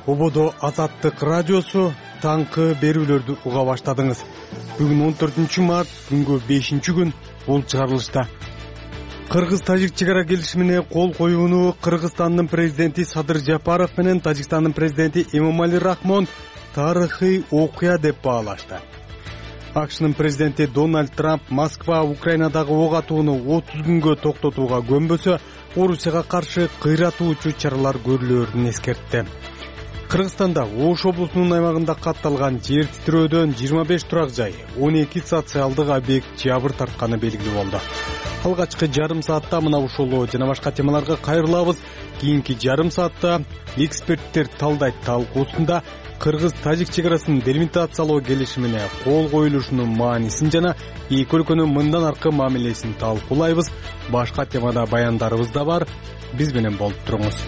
Ободо Азаттык радиосу таңкы берүүлөрдү уга баштадыңыз. Бүгүн 14 март, күнгө 5-күн бул чыгарылышта. Кыргыз-тажик чек ара келишимине кол коюуну Кыргызстандын президенти Садыр Жапаров менен Тажикстандын президенти Эмомали Рахмон тарыхый окуя деп баалашты. АКШнын президенти Дональд Трамп Москва Украинадагы ок атууну 30 күнгө токтотууга көнбөсө, Орусияга каршы кыйратуучу чаралар көрүлөрүн эскертти. Кыргызстанда Ош облусунун аймагында катталган жер титирөөдөн 25 турак жай, 12 социалдык объект жабыр тартканы белгилүү болду. Алгачкы жарым саатта мына ушул жана башка темаларга кайрылабыз. Кийинки жарым саатта эксперттер талдайт талкуусунда Кыргыз-тажик чек арасын делимитациялоо келишимине кол коюлушунун маанисин жана эки өлкөнүн мындан аркы мамилесин талкуулайбыз. Башка темада баяндарыбыз да бар. Биз менен болуп туруңуз.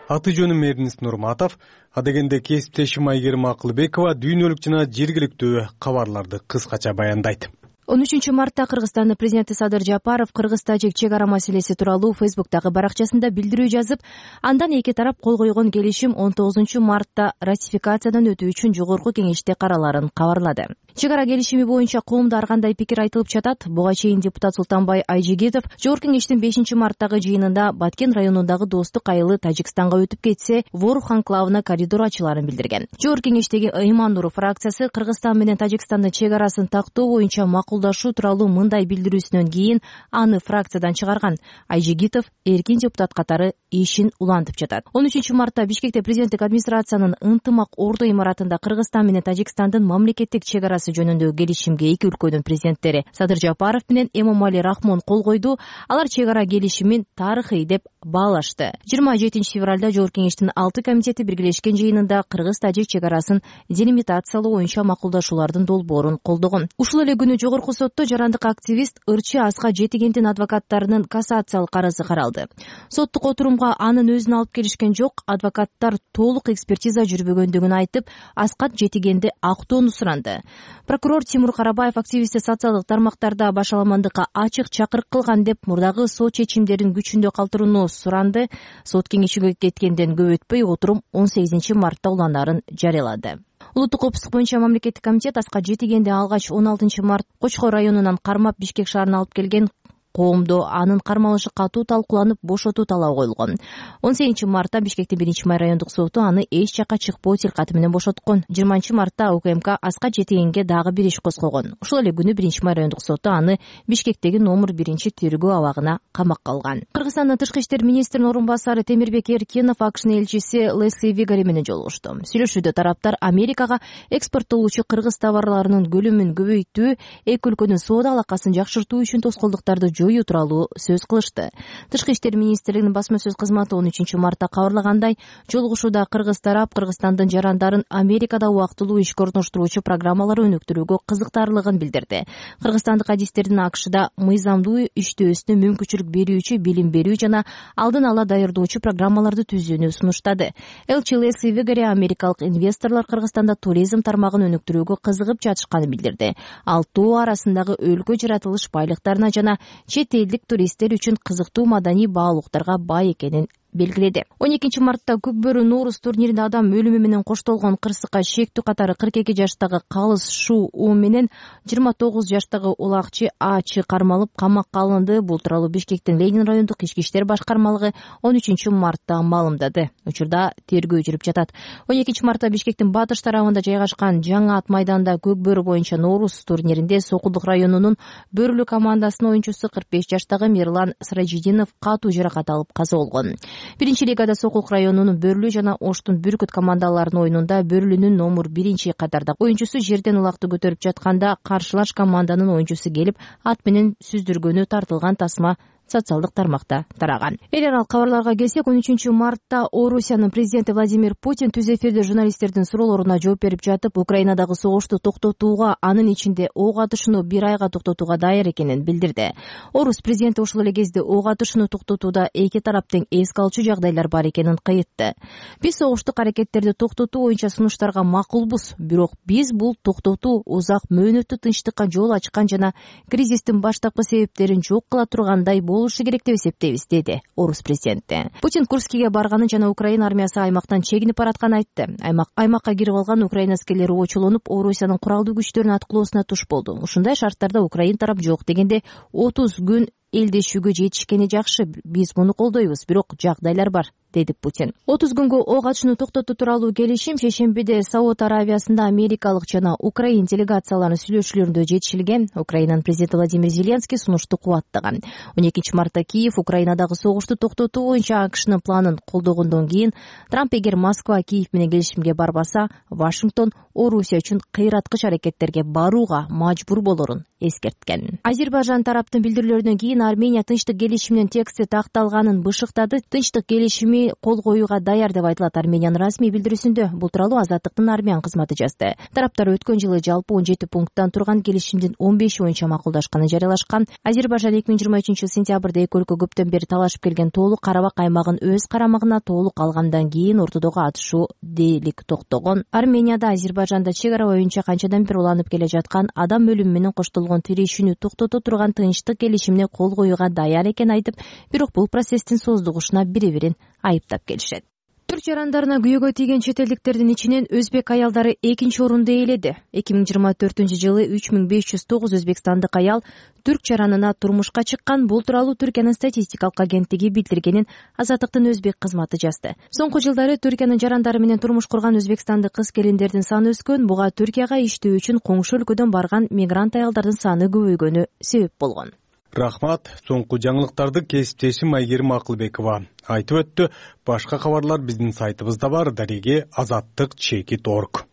Аты жөнүм Эрнис Нурматов, адегенде кесиптешим Айгерим Акылбекова дүйнөлүк жана жергиликтүү кабарларды кыскача баяндайт. 13 мартта Кыргызстандын президенти Садыр Жапаров Кыргыз-тажик чек ара маселеси тууралуу Фейсбуктагы баракчасында билдирүү жазып, андан эки тарап кол койгон келишим 19 мартта ратификациядан өтүү үчүн жогорку кеңеште караларын кабарлады. Чек ара келишими боюнча коомдо ар кандай пикир айтылып жатат. Буга чейин депутат Султанбай Айжигитов жогорку кеңештин 5-марттагы жыйынында Баткен районундагы достук айылы Тажикстанга өтүп кетсе, Ворух анклавына коридор ачыларын билдирген. Жогорку кеңештеги Ыйман Нуров фракциясы Кыргызстан менен Тажикстандын чек арасын тактоо боюнча макулдашуу тууралуу мындай билдирүүсүнөн кийин аны фракциядан чыгарган. Айжигитов эркин депутат катары ишин улантып жатат. 13 мартта Бишкекте президенттик администрациянын ынтымак ордо имаратында Кыргызстан менен Тажикстандын мамлекеттик чек арасы жөнүндөгү келишимге эки өлкөнүн президенттери Садыр Жапаров менен Эмомали Рахмон кол койду. Алар чек ара келишимин тарыхый деп баалашты. 27 февралда жогорку кеңештин 6 комитети биргелешкен жыйынында Кыргыз-тажик чек арасын делимитациялоо боюнча макулдашуулардын долбоорун колдогон. Ушул эле күнү жогорку сотто жарандык активист Ырчы Аска Жетигендин адвокаттарынын кассациялык арызы каралды. Соттук отурумга анын өзүн алып келишкен жок. Адвокаттар толук экспертиза жүрбөгөндүгүн айтып, Аскат Жетигенди актоону суранды. Прокурор Тимур Карабаев активистти социалдык тармактарда башаламандыкка ачык чакырык кылган деп мурдагы сот чечимдерин күчүндө калтырууну суранды. Сот кеңешиге кеткенден көп өтпөй отурум 18 мартта уланарын жарыялады. Улуттук коопсуздук боюнча мамлекеттик комитет Аскат Жетигенди алгач 16 март Кочкор районунан кармап Бишкек шаарына алып келген. Коомдо анын кармалышы катуу талкууланып, бошотуу талабы коюлгон. 18 мартта Бишкектин 1-май райондук соту аны эч жакка чыкпоо тилкаты менен бошоткон. 20 мартта УКМК Аскат Жетигенге дагы бир иш козгогон. Ушул эле күнү 1-май райондук соту аны Бишкектеги номер 1-тергөө абагына камакка алган. Кыргызстандын тышкы иштер министринин орун басары Темирбек Эркенов АКШнын элчиси Лесли Вигари менен жолугушту. Сүйлөшүүдө тараптар Америкага экспорттолуучу кыргыз товарларынын көлөмүн көбөйтүү, эки өлкөнүн соода алакасын жакшыртуу үчүн тоскоолдуктарды жоюу тууралуу сөз кылышты. Тышкы иштер министрлигинин басма сөз кызматы 13 мартта кабарлагандай, жолугушууда кыргыз тарап Кыргызстандын жарандарын Америкада убактылуу ишке орноштуруучу программалар өнүктүрүүгө кызыктарлыгын билдирди. Кыргызстандык адистердин АКШда мыйзамдуу иштөөсүнө мүмкүнчүлүк берүүчү, билим берүү жана алдын ала даярдоочу программаларды түзүүнү сунуштады. Элчи Лесли Вигари америкалык инвесторлор Кыргызстанда туризм тармагын өнүктүрүүгө кызыгып жатышканын билдирди. Ал тоо арасындагы өлкө жаратылыш байлыктарына жана чет элдик туристтер үчүн кызыктуу маданий баалуулуктарга бай экенин белгиледи. 12 мартта Көкбөрү Норус турниринде адам өлүмү менен коштолгон кырсыкка шектүү катары 42 жаштагы Калыс Шу У менен 29 жаштагы Улакчы Ачы кармалып камакка алынды. Бул тууралуу Бишкектин Ленин райондук ички иштер башкармалыгы 13 мартта маалымдады. Учурда тергөө жүрүп жатат. 12 мартта Бишкектин батыш тарабында жайгашкан Жаңы ат майданында Көкбөрү боюнча Норус турниринде Сокулдук районунун Бөрүлү командасынын оюнчусу 45 жаштагы Мирлан Сыражидинов катуу жаракат алып каза болгон. Биринчи лигада Сокулук районунун Бөрүлү жана Оштун Бүркүт командаларынын оюнунда Бөрүлүнүн номер 1-катардагы оюнчусу жерден улакты көтөрүп жатканда каршылаш команданын оюнчусу келип ат менен сүздүргөнү тартылган тасма социалдык тармакта тараган. Эл аралык кабарларга келсек, 13 мартта Орусиянын президенти Владимир Путин түз эфирде журналисттердин суроолоруна жооп берип жатып, Украинадагы согушту токтотууга, анын ичинде ок атышууну 1 айга токтотууга даяр экенин билдирди. Орус президенти ошол эле кезде ок атышууну токтотууда эки тараптын эске алчу жагдайлар бар экенин кайтты. Биз согуштук аракеттерди токтотуу боюнча сунуштарга макулбуз, бирок биз бул токтотуу узак мөөнөттүү тынчтыкка жол ачкан жана кризистин баштапкы себептерин жок кыла тургандай болушу керек деп эсептейбиз, деди орус президенти. Путин Курскиге барганын жана Украина армиясы аймактан чегинип баратканын айтты. Аймакка кирип алган Украина аскерлери очулонуп, Орусиянын куралдуу күчтөрүнүн аткылоосуна туш болду. Ушундай шарттарда Украина тарап жок дегенде 30 күн элдешүүгө жетишкени жакшы, биз муну колдойбуз, бирок жагдайлар бар, деди Путин. 30 күнгө ок атышууну токтотуу тууралуу келишим шейшембиде Сауд Аравиясында америкалык жана украин делегацияларынын сүйлөшүүлөрүндө жетишилген. Украинанын президенти Владимир Зеленский сунушту кубаттаган. 12 мартта Киев Украинадагы согушту токтотуу боюнча АКШнын планын колдогондон кийин Трамп эгер Москва Киев менен келишимге барбаса, Вашингтон Орусия үчүн кыйраткыч аракеттерге барууга мажбур болорун эскерткен. Азербайжан тараптын билдирүүлөрүнөн кийин Армения тынчтык келишиминин тексти такталганын бышыктады. Тынчтык келишими кол коюуга даяр деп айтылат Армениянын расмий билдирүүсүндө. Бул тууралуу Азаттыктын армян кызматы жазды. Тараптар өткөн жылы жалпы 17 пункттан турган келишимдин 15 боюнча макулдашканын жарыялашкан. Азербайжан 2023 сентябрда эки өлкө көптөн бери талашып келген Тоолук Карабак аймагын өз карамагына толук алгандан кийин ортодогу атышуу дээрлик токтогон. Арменияда Азербайжанда чек ара боюнча канчадан бери уланып келе жаткан адам өлүмү менен коштолгон тирешүүнү токтото турган тынчтык келишимине кол коюуга даяр экенин айтып, бирок бул процесстин создугушуна бири-бирин айыптап келишет. Түрк жарандарына күйөөгө тийген чет элдиктердин ичинен өзбек аялдары экинчи орунду ээледи. 2024-жылы 3509 өзбекстандык аял түрк жаранына турмушка чыккан. Бул тууралуу Түркиянын статистикалык агенттиги билдиргенин Азаттыктын өзбек кызматы жазды. Соңку жылдары Түркиянын жарандары менен турмуш курган өзбекстандык кыз-келиндердин саны өскөн. Буга Түркияга иштөө үчүн коңшу өлкөдөн барган мигрант аялдардын саны көбөйгөнү себеп болгон. Рахмат. Соңку жаңылыктарды кесиптешим Айгерим Акылбекова айтып өттү. Башка кабарлар биздин сайтыбызда бар. Дареге azattik.org.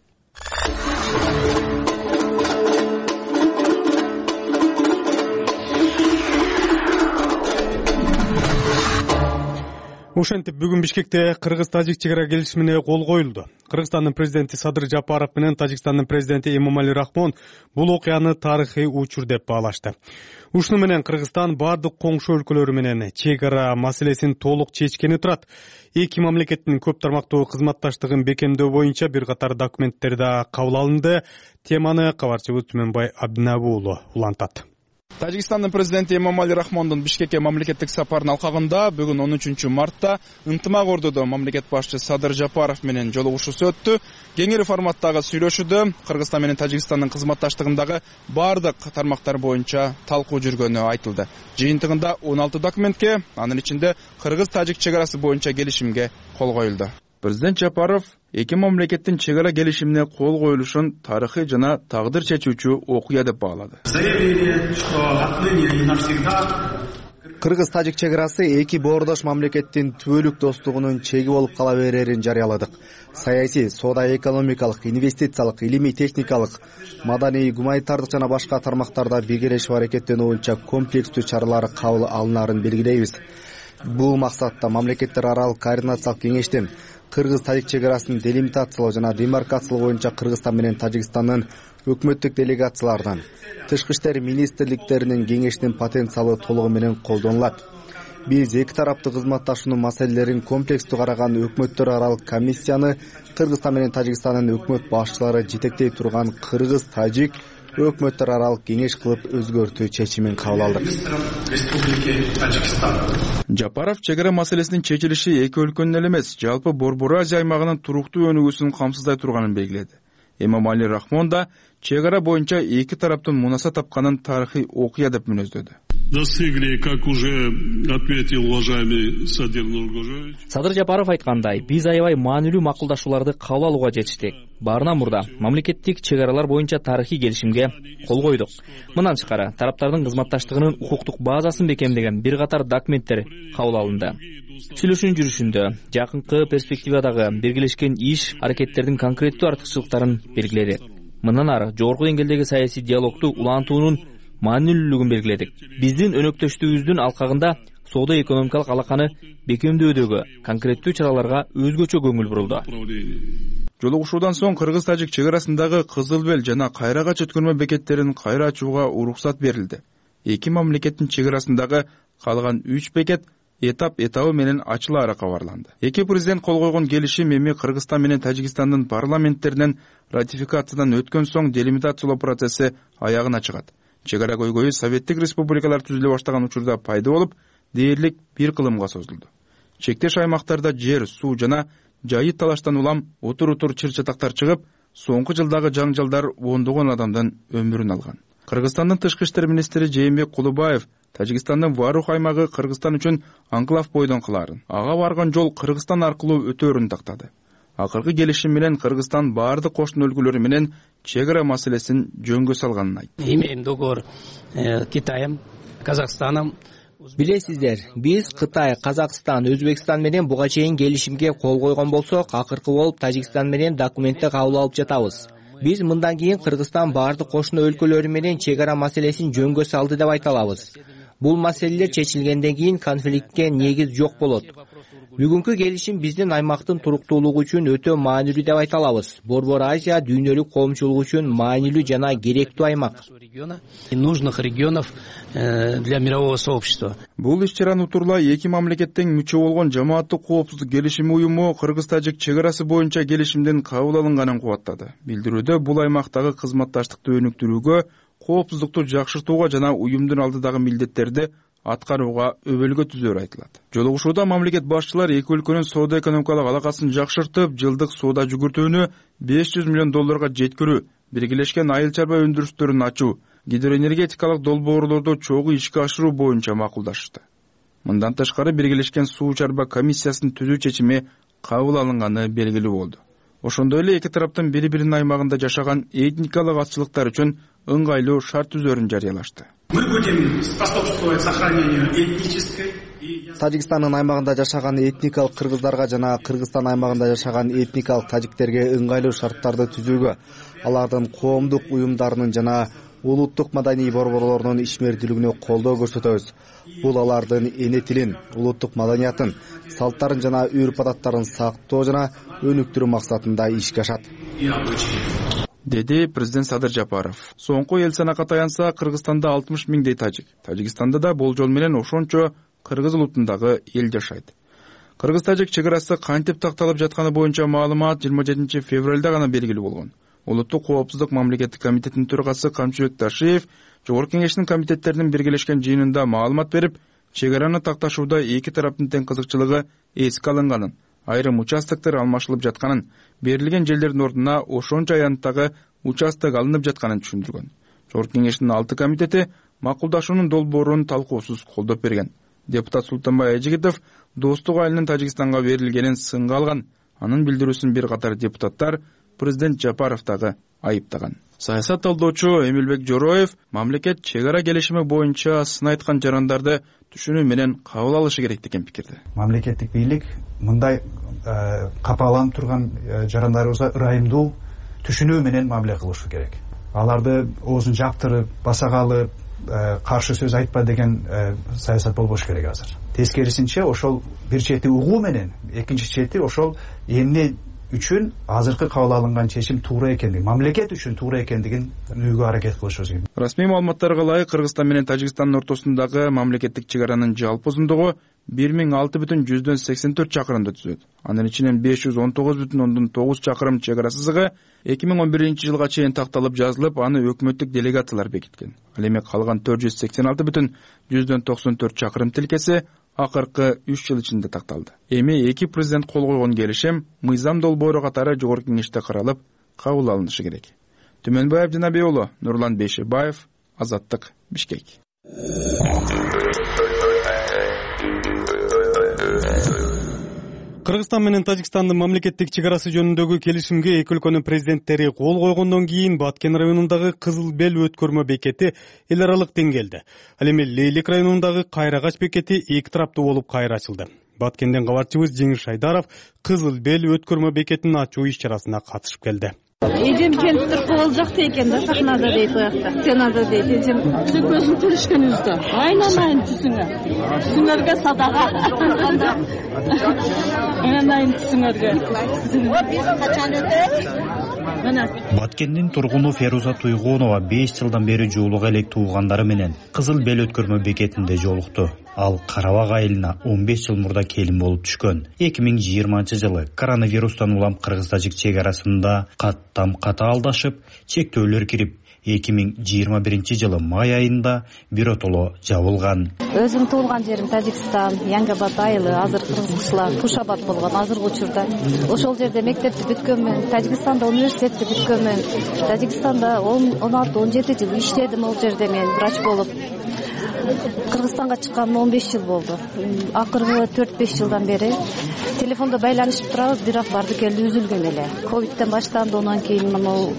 Ошентип бүгүн Бишкекте Кыргыз-Тажик чек ара келишимине кол коюлду. Кыргызстандын президенти Садыр Жапаров менен Тажикстандын президенти Эмомали Рахмон бул окуяны тарыхый учур деп баалашты. Ушуну менен Кыргызстан бардык коңшу өлкөлөрү менен чек ара маселесин толук чечкени турат. Эки мамлекеттин көп тармактуу кызматташтыгын бекемдөө боюнча бир катар документтер да кабыл алынды. Теманы кабарчыбыз Түмөнбай Абдинабы уулу улантат. Тажикстандын президенти Эмомали Рахмондун Бишкекке мамлекеттик сапарынын алкагында бүгүн 13 мартта ынтымак ордодо мамлекет башчы Садыр Жапаров менен жолугушуусу өттү. Кеңири форматтагы сүйлөшүүдө Кыргызстан менен Тажикстандын кызматташтыгындагы бардык тармактар боюнча талкуу жүргөнү айтылды. Жыйынтыгында 16 документке, анын ичинде Кыргыз-Тажик чек арасы боюнча келишимге кол коюлду. Президент Жапаров эки мамлекеттин чек ара келишимине кол коюлушун тарыхый жана тагдыр чечүүчү окуя деп баалады. Кыргыз-Тажик чек арасы эки боордош мамлекеттин түбөлүк достугунун чеги болуп кала берерин жарыяладык. Саясий, соода-экономикалык, инвестициялык, илимий-техникалык, маданий, гуманитардык жана башка тармактарда биргелешип аракеттенүү боюнча комплекстүү чаралар кабыл алынарын белгилейбиз. Бул максатта мамлекеттер аралык координациялык кеңештин Кыргыз-Тажик чек арасын делимитациялоо жана демаркациялоо боюнча Кыргызстан менен Тажикстандын өкмөттүк делегацияларынан, тышкы иштер министрликтеринин кеңешинин потенциалы толугу менен колдонулат. Биз эки тараптуу кызматташуунун маселелерин комплекстүү караган өкмөттөр аралык комиссияны Кыргызстан менен Тажикстандын өкмөт башчылары жетектей турган Кыргыз-Тажик өкмөттөр аралык кеңеш кылып өзгөртүү чечимин кабыл алдык. Жапаров чек ара маселесинин чечилиши эки өлкөнүн эле эмес, жалпы Борбор Азия аймагынын туруктуу өнүгүүсүн камсыздай турганын белгиледи. Эмомали Рахмон да чек ара боюнча эки тараптын мунаса тапканын тарыхый окуя деп мүнөздөдү. Достигли, как уже отметил уважаемый Садыр Нургожевич. Садыр Жапаров айткандай, биз аябай маанилүү макулдашууларды кабыл алууга жетиштик. Баарынан мурда мамлекеттик чек аралар боюнча тарыхый келишимге кол койдук. Мындан тышкары тараптардын кызматташтыгынын укуктук базасын бекемдеген бир катар документтер кабыл алынды. Сүйлөшүүнүн жүрүшүндө жакынкы перспективадагы биргелешкен иш аракеттердин конкреттүү артыкчылыктарын белгиледик. Мындан ары жогорку деңгээлдеги саясий диалогту улантуунун маанилүүлүгүн белгиледик. Биздин өнөктөштүгүбүздүн алкагында соода-экономикалык алаканы бекемдөөдөгү конкреттүү чараларга өзгөчө көңүл бурулду. Жолугушуудан соң Кыргыз-Тажик чек арасындагы Кызыл Бел жана Кайрагач өткөрмө бекеттерин кайра ачууга уруксат берилди. Эки мамлекеттин чек арасындагы калган 3 бекет этабы менен ачылаары кабарланды. Эки президент кол койгон келишим эми Кыргызстан менен Тажикстандын парламенттеринен ратификациядан өткөн соң делимитациялоо процесси аягына чыгат. Чек ара көйгөйү Советтик республикалар түзүлө баштаган учурда пайда болуп, дээрлик бир кылымга созулду. Чектеш аймактарда жер, суу жана жайыт талаштан улам утур чыр-чатактар чыгып, соңку жылдагы жаңжалдар ондогон адамдын өмүрүн алган. Кыргызстандын тышкы иштер министри Жээнбек Кулубаев Тажикстандын Варух аймагы Кыргызстан үчүн анклав бойдон кылаарын, ага барган жол Кыргызстан аркылуу өтөөрүн тактады. Акыркы келишим менен Кыргызстан баардык кошуна өлкөлөр менен чек ара маселесин жөнгө салганын айтты. Имеем договор Китаем, Казахстаном. Билесиздер, биз Кытай, Казакстан, Өзбекстан менен буга чейин келишимге кол койгон болсок, акыркы болуп Тажикстан менен документти кабыл алып жатабыз. Биз мындан кийин Кыргызстан баардык кошуна өлкөлөрү менен чек ара маселесин жөнгө салды деп айта алабыз. Бул маселелер чечилгенден кийин конфликтке негиз жок болот. Бүгүнкү келишим биздин аймактын туруктуулугу үчүн өтө маанилүү деп айта алабыз. Борбор Азия дүйнөлүк коомчулук үчүн маанилүү жана керектүү аймак. Нужных регионов для мирового сообщества. Бул иш-чараны утурла эки мамлекеттин мүчө болгон Жамааттык коопсуздук келишими уюму Кыргыз-Тажик чек арасы боюнча келишимдин кабыл алынганын кубаттады. Билдирүүдө бул аймактагы кызматташтыкты өнүктүрүүгө, коопсуздукту жакшыртууга жана уюмдун алдыдагы милдеттерди аткарууга өбөлгө түзөөрү айтылат. Жолугушууда мамлекет башчылары эки өлкөнүн соода-экономикалык алакасын жакшыртып, жылдык соода жүгүртүүнү $500 миллион жеткирүү, биргелешкен айыл чарба өндүрүштөрүн ачуу, гидроэнергетикалык долбоорлорду чогуу ишке ашыруу боюнча макулдашты. Мындан тышкары биргелешкен суу чарба комиссиясын түзүү чечими кабыл алынганы белгилүү болду. Ошондой эле эки тараптын бири-биринин аймагында жашаган этникалык азчылыктар үчүн ыңгайлуу шарт түзөөрүн жарыялашты. Мы будем способствовать сохранению этнической. Тажикстандын аймагында жашаган этникалык кыргыздарга жана Кыргызстан аймагында жашаган этникалык тажиктерге ыңгайлуу шарттарды түзүүгө, алардын коомдук уюмдарынын жана улуттук маданий борборлорунун ишмердүүлүгүнө колдоо көрсөтөбүз. Бул алардын эне тилин, улуттук маданиятын, салттарын жана үрп-адаттарын сактоо жана өнүктүрүү максатында ишке ашат, деди президент Садыр Жапаров. Соңку эл санакка таянса, Кыргызстанда 60 миңдей тажик, Тажикстанда да болжол менен ошончо кыргыз улутундагы эл жашайт. Кыргыз-тажик чек арасы кантип такталып жатканы боюнча маалымат 27 февралда гана белгилүү болгон. Улуттук коопсуздук мамлекеттик комитетинин төрагасы Камчыбек Ташиев Жогорку кеңештин комитеттеринин биргелешкен жыйынында маалымат берип, чек араны такташууда эки тараптын тең кызыкчылыгы эске алынганын, айрым участоктор алмашылып жатканын, берилген жерлердин ордуна ошончо аянттагы участок алынып жатканын түшүндүргөн. Жогорку кеңештин 6 комитети макулдашуунун долбоорун талкуусуз колдоп берген. Депутат Султанбай Айжигитов достук айылынын Тажикстанга берилгенин сынга алган. Анын билдирүүсүн бир катар депутаттар президент Жапаров дагы айыптаган. Саясат талдоочу Эмилбек Жороев мамлекет чек ара келишими боюнча сын айткан жарандарды түшүнүү менен кабыл алышы керек деген пикирде. Мамлекеттик бийлик мындай капаланып турган жарандарыбызга ырайымдуу түшүнүү менен мамиле кылышы керек. Аларды оозун жаптырып, басагалы каршы сөз айтпа деген саясат болбош керек азыр. Тескерисинче ошол бир чети угуу менен, экинчи чети ошол эмне үчүн азыркы кабыл алынган чечим туура экендигин, мамлекет үчүн туура экендигин түшүнүүгө аракет кылышыбыз керек. Расмий маалыматтарга ылайык Кыргызстан менен Тажикстандын ортосундагы мамлекеттик чек аранын жалпы узундугу 1006,84 чакырымды түзөт. Анын ичинен 519,9 чакырым чек ара сызыгы 2011-жылга чейин такталып жазылып, аны өкмөттүк делегациялар бекиткен. Ал эми калган 486,94 чакырым тилкеси акыркы 3 жыл ичинде такталды. Эми эки президент кол койгон келишим мыйзам долбоору катары Жогорку кеңеште каралып, кабыл алынышы керек. Түмөнбаев Жанабек уулу, Нурлан Бейшебаев, Азаттык, Бишкек. Кыргызстан менен Тажикстандын мамлекеттик чек арасы жөнүндөгү келишимге эки өлкөнүн президенттери кол койгондон кийин Баткен районундагы Кызыл Бел өткөрмө бекети эл аралык деңгээлде. Ал эми Лейлик районундагы Кайрагач бекети эки тараптуу болуп кайра ачылды. Баткенден кабарчыбыз Жеңиш Шайдаров Кызыл Бел өткөрмө бекетин ачуу иш-чарасына катышып келди. Эжем кенттир кол жакта экен да, сахнада дейт уякта. Стенада дейт. Эжем көзүн тилишкенибизде. Айнанайын түсүңөргө садага. Айнанайын түсүңөргө. Биз качан өтөбүз? Баткендин тургуну Феруза Туйгонова 5 жылдан бери жуулук элек туугандары менен Кызыл Бел өткөрмө бекетинде жолукту. Ал Карабак айылына 15 жыл мурда келин болуп түшкөн. 2020-жылы коронавирустан улам Кыргыз-Тажик чек арасында каттам ката алдашып, чектөөлөр кирип, 2021 май айында биротоло жабылган. Өзүм туулган жерим Тажикстан, Янгабад айылы, азыр кыргызчылар Кушабад болгон азыркы учурда. Ошол жерде мектепти бүткөнмүн, Тажикстанда университетти бүткөнмүн. Тажикстанда 16-17 жыл иштедим, ал жерде мен врач болуп. Кыргызстанга чыкканыма 15 жыл болду. Акыркы 4-5 жылдан бери телефондо байланышып турабыз, бирок барды келди үзүлгөн эле. Ковидтен баштанды, андан кийин мына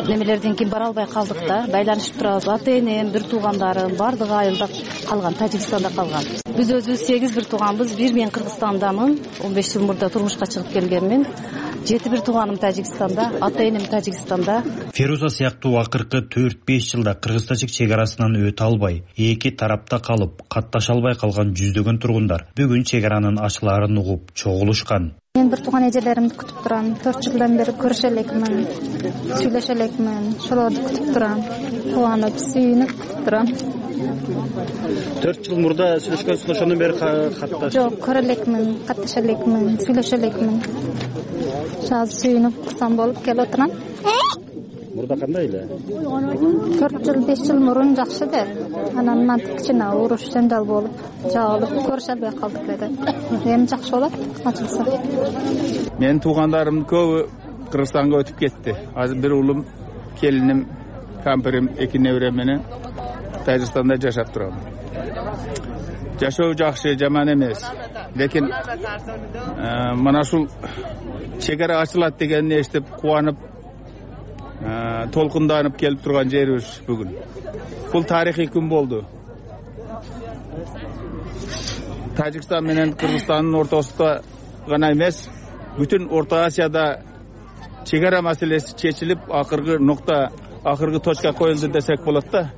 немелерден кийин бара албай калдык да. Байланышып турабыз. Ата-энем, бир туугандарым бардыгы айылда калган, Тажикстанда калган. Биз өзүбүз 8 бир тууганбыз. Бир мен Кыргызстандамын. 15 жыл мурда турмушка чыгып келгенмин. 7 бир тууганым Тажикстанда, ата-энем Тажикстанда. Феруза сыяктуу акыркы 4-5 жылда кыргыз-тажик чек арасынан өтө албай, эки тарапта калып, катташа албай калган жүздөгөн тургундар бүгүн чек аранын ачылаарын угуп чогулушкан. Мен бир тууган эжелеримди күтүп турам. 4 жылдан бери көрүшө элекмин, сүйлөшө элекмин. Ошолорду күтүп турам. Кубанып, сүйүнүп күтүп турам. 4 жыл мурда сүйлөшкөнсүң, ошондон бери катташ? Жок, көрө элекмин, катташа элекмин, сүйлөшө элекмин. Азыр сүйүнүп курсам болуп келип отурам. Мурда кандай эле? 4 жыл, 5 жыл мурун жакшы да. Анан мынтип кичине уруш жанжал болуп, жабылып, көрүшө албай калдык эле. Эми жакшы болот, ачылса. Менин туугандарымдын көбү Кыргызстанга өтүп кетти. Азыр бир уулум, келиним, кампирим, эки неберем менен Тажикстанда жашап турам. Жашоо жакшы, жаман эмес. Лекин мына ушул чек ара ачылат дегенди эстеп кубанып, толкунданып келип турган жерибиз бүгүн. Бул тарыхый күн болду. Тажикстан менен Кыргызстандын ортосунда гана эмес, бүтүн Орто Азияда чек ара маселеси чечилип, акыркы нукта, акыркы точка коюлду десек болот да.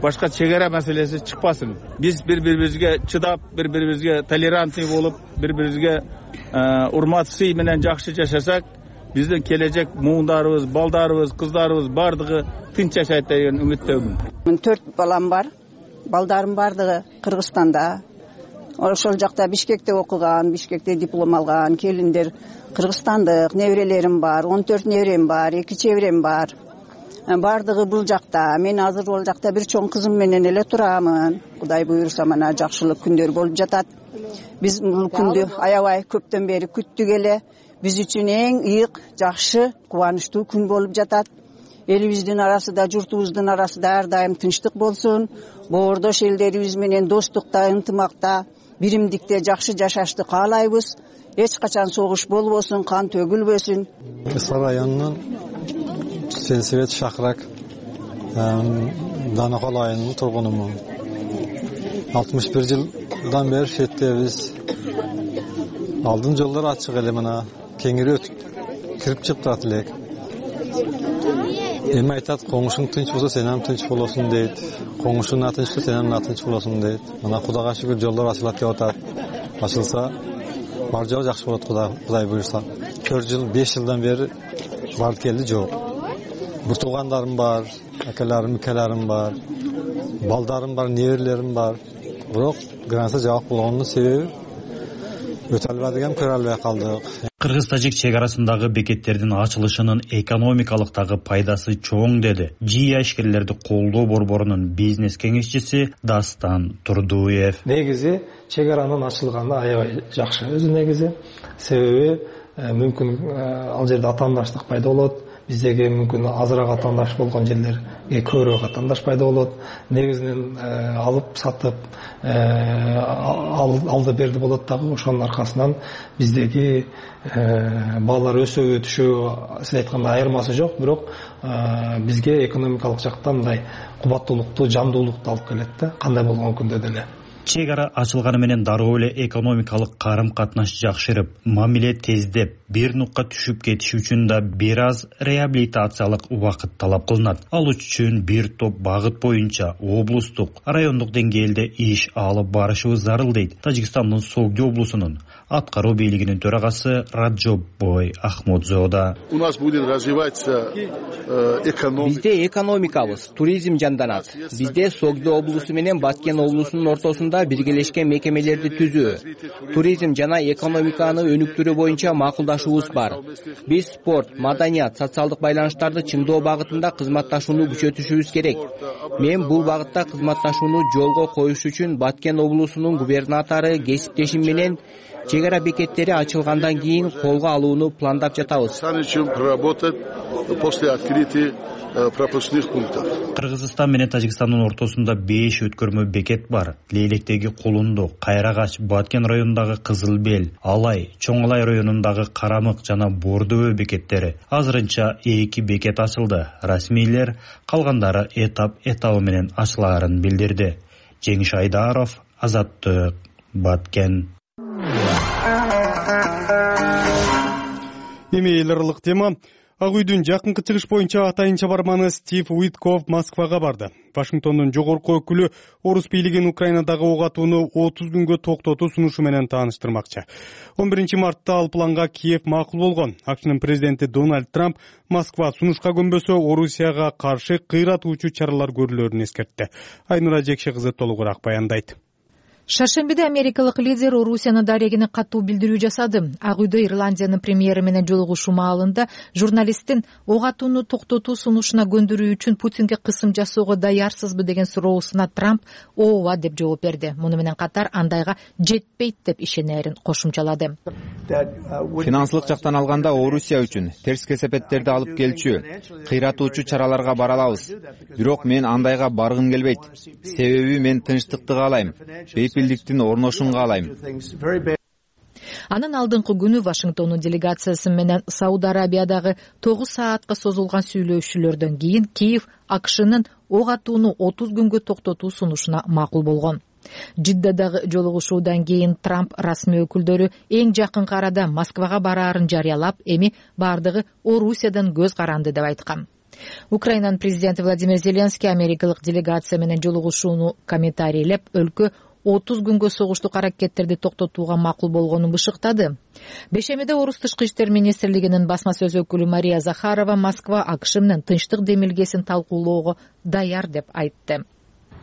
Башка чек ара маселеси чыкпасын. Биз бири-бирибизге чыдап, бири-бирибизге толерантный болуп, бири-бирибизге урмат сый менен жакшы жашасак, биздин келечек муундарыбыз, балдарыбыз, кыздарыбыз бардыгы тынч жашайт деген үмүттөмүн. Мен 4 балам бар. Балдарым бардыгы Кыргызстанда. Ошол жакта Бишкекте окуган, Бишкекте диплом алган, келиндер кыргызстандык, неберелерим бар, 14 неберем бар, 2 чеберем бар. Бардыгы бул жакта. Мен азыр ол жакта бир чоң кызым менен эле турамын. Кудай буйруса мана жакшылык күндөр болуп жатат. Биз бул күндү аябай көптөн бери күттүк эле. Биз үчүн эң ыйык, жакшы, кубанычтуу күн болуп жатат. Элибиздин арасында, журтубуздун арасында ар дайым тынчтык болсун. Боордош элдерибиз менен достукта, ынтымакта, биримдикте жакшы жашашты каалайбыз. Эч качан согуш болбосун, кан төгүлбөсүн. Кыска районунун Сенсибет Шакырак Данакол айылынын тургунумун. 61 жылдан бери шеттебиз. Алдын жолдор ачык эле, мына кеңири өтүп кирип чыгып турат элек. Эми айтат, коңушуң тынч болсо сен ham тынч болосуң дейт. Коңушуң натынч болсо сен ham натынч болосуң дейт. Мына Кудайга шүгүр жолдор ачылат деп атат. Ачылса бар жол жакшы болот, Кудай буйруса. 4 жыл, 5 жылдан бери барды келди жок. Бир туугандарым бар, акаларым бар, балдарым бар, неберелерим бар. Бирок граница жабык болгондун себеби өтө албай деген көрө албай калдык. Кыргыз-тажик чек арасындагы бекеттердин ачылышынын экономикалыктагы пайдасы чоң деди ЖИА ишкерлерди колдоо борборунун бизнес кеңешчиси Дастан Турдуев. Негизи чек аранын ачылганы аябай жакшы өзү негизи. Себеби мүмкүн ал жерде атаандаштык пайда болот. Биздеги мүмкүн азыраак атаандаш болгон жерлерге көбүрөөк атаандаш пайда болот. Негизинен алып сатып алды берди болот дагы. Ошонун аркасынан биздеги баалар өсөбү түшөбү сиз айткандай айырмасы жок, бирок бизге экономикалык жактан мындай кубаттуулукту, жандуулукту алып келет да, кандай болгон күндө деле. Чек ара ачылганы менен дароо эле экономикалык карым-катнаш жакшырып, мамиле тездеп, бир нукка түшүп кетиш үчүн да бир аз реабилитациялык убакыт талап кылынат. Ал үчүн бир топ багыт боюнча облустук, райондук деңгээлде иш алып барышыбыз зарыл дейт Тажикстандын Согди облусунун аткаруу бийлигинин төрагасы Раджоббой Ахмодзода. У нас будет развиваться экономика. Бизде экономикабыз, туризм жанданат. Бизде Согди облусу менен Баткен облусунун ортосунда аймагында биргелешкен мекемелерди түзүү, туризм жана экономиканы өнүктүрүү боюнча макулдашуубуз бар. Биз спорт, маданият, социалдык байланыштарды чыңдоо багытында кызматташууну күчөтүшүбүз керек. Мен бул багытта кызматташууну жолго коюш үчүн Баткен облусунун губернатору кесиптешим менен чек ара бекеттери ачылгандан кийин колго алууну пландап жатабыз. Кыргызстан менен Тажикстандын ортосунда 5 өткөрмө бекет бар. Лейлектеги Кулунду, Кайрагач, Баткен районундагы Кызыл Бел, Алай, Чоң Алай районундагы Карамык жана Бордөө бекеттери. Азырынча 2 бекет ачылды. Расмийлер калгандары этабы менен ачылаарын билдирди. Жеңиш Айдаров, Азаттык, Баткен. Эми эл аралык тема. Ак үйдүн жакынкы чыгыш боюнча атайынча барманы Стив Уитков Москвага барды. Вашингтондун жогорку өкүлү орус бийлигин Украинадагы ок атууну 30 күнгө токтотуу сунушу менен тааныштырмакчы. 11 мартта ал планга Киев макул болгон. АКШнын президенти Дональд Трамп Москва сунушка көнбөсө Орусияга каршы кыйратуучу чаралар көрүлөрүн эскертти. Айнура Жекше кызы толугураак баяндайт. Шаршембиде америкалык лидер Орусияны дарегине катуу билдирүү жасады. Ак үйдө Ирландиянын премьери менен жолугушуу маалында журналисттин ок атууну токтотуу сунушуна көндүрүү үчүн Путинге кысым жасоого даярсызбы деген суроосуна Трамп ооба деп жооп берди. Муну менен катар андайга жетпейт деп ишенерин кошумчалады. Финансылык жактан алганда Орусия үчүн терс кесепеттерди алып келчү, кыйратуучу чараларга бара алабыз. Бирок мен андайга баргым келбейт. Себеби мен тынчтыкты каалайм. Бейпилдиктин орношун каалайм. Анын алдыңкы күнү Вашингтондун делегациясы менен Сауд Арабиядагы 9 саатка созулган сүйлөшүүлөрдөн кийин Киев АКШнын ок атууну 30 күнгө токтотуу сунушуна макул болгон. Жиддадагы жолугушуудан кийин Трамп расмий өкүлдөрү эң жакынкы арада Москвага бараарын жарыялап, эми бардыгы Орусиядан көз каранды деп айткан. Украинанын президенти Владимир Зеленский америкалык делегация менен жолугушууну комментарийлеп, өлкө 30 күнгө согуштук аракеттерди токтотууга макул болгонун бышыктады. Бешемиде Орус тышкы иштер министрлигинин басма сөз өкүлү Мария Захарова Москва АКШ менен тынчтык демилгесин талкуулоого даяр деп айтты.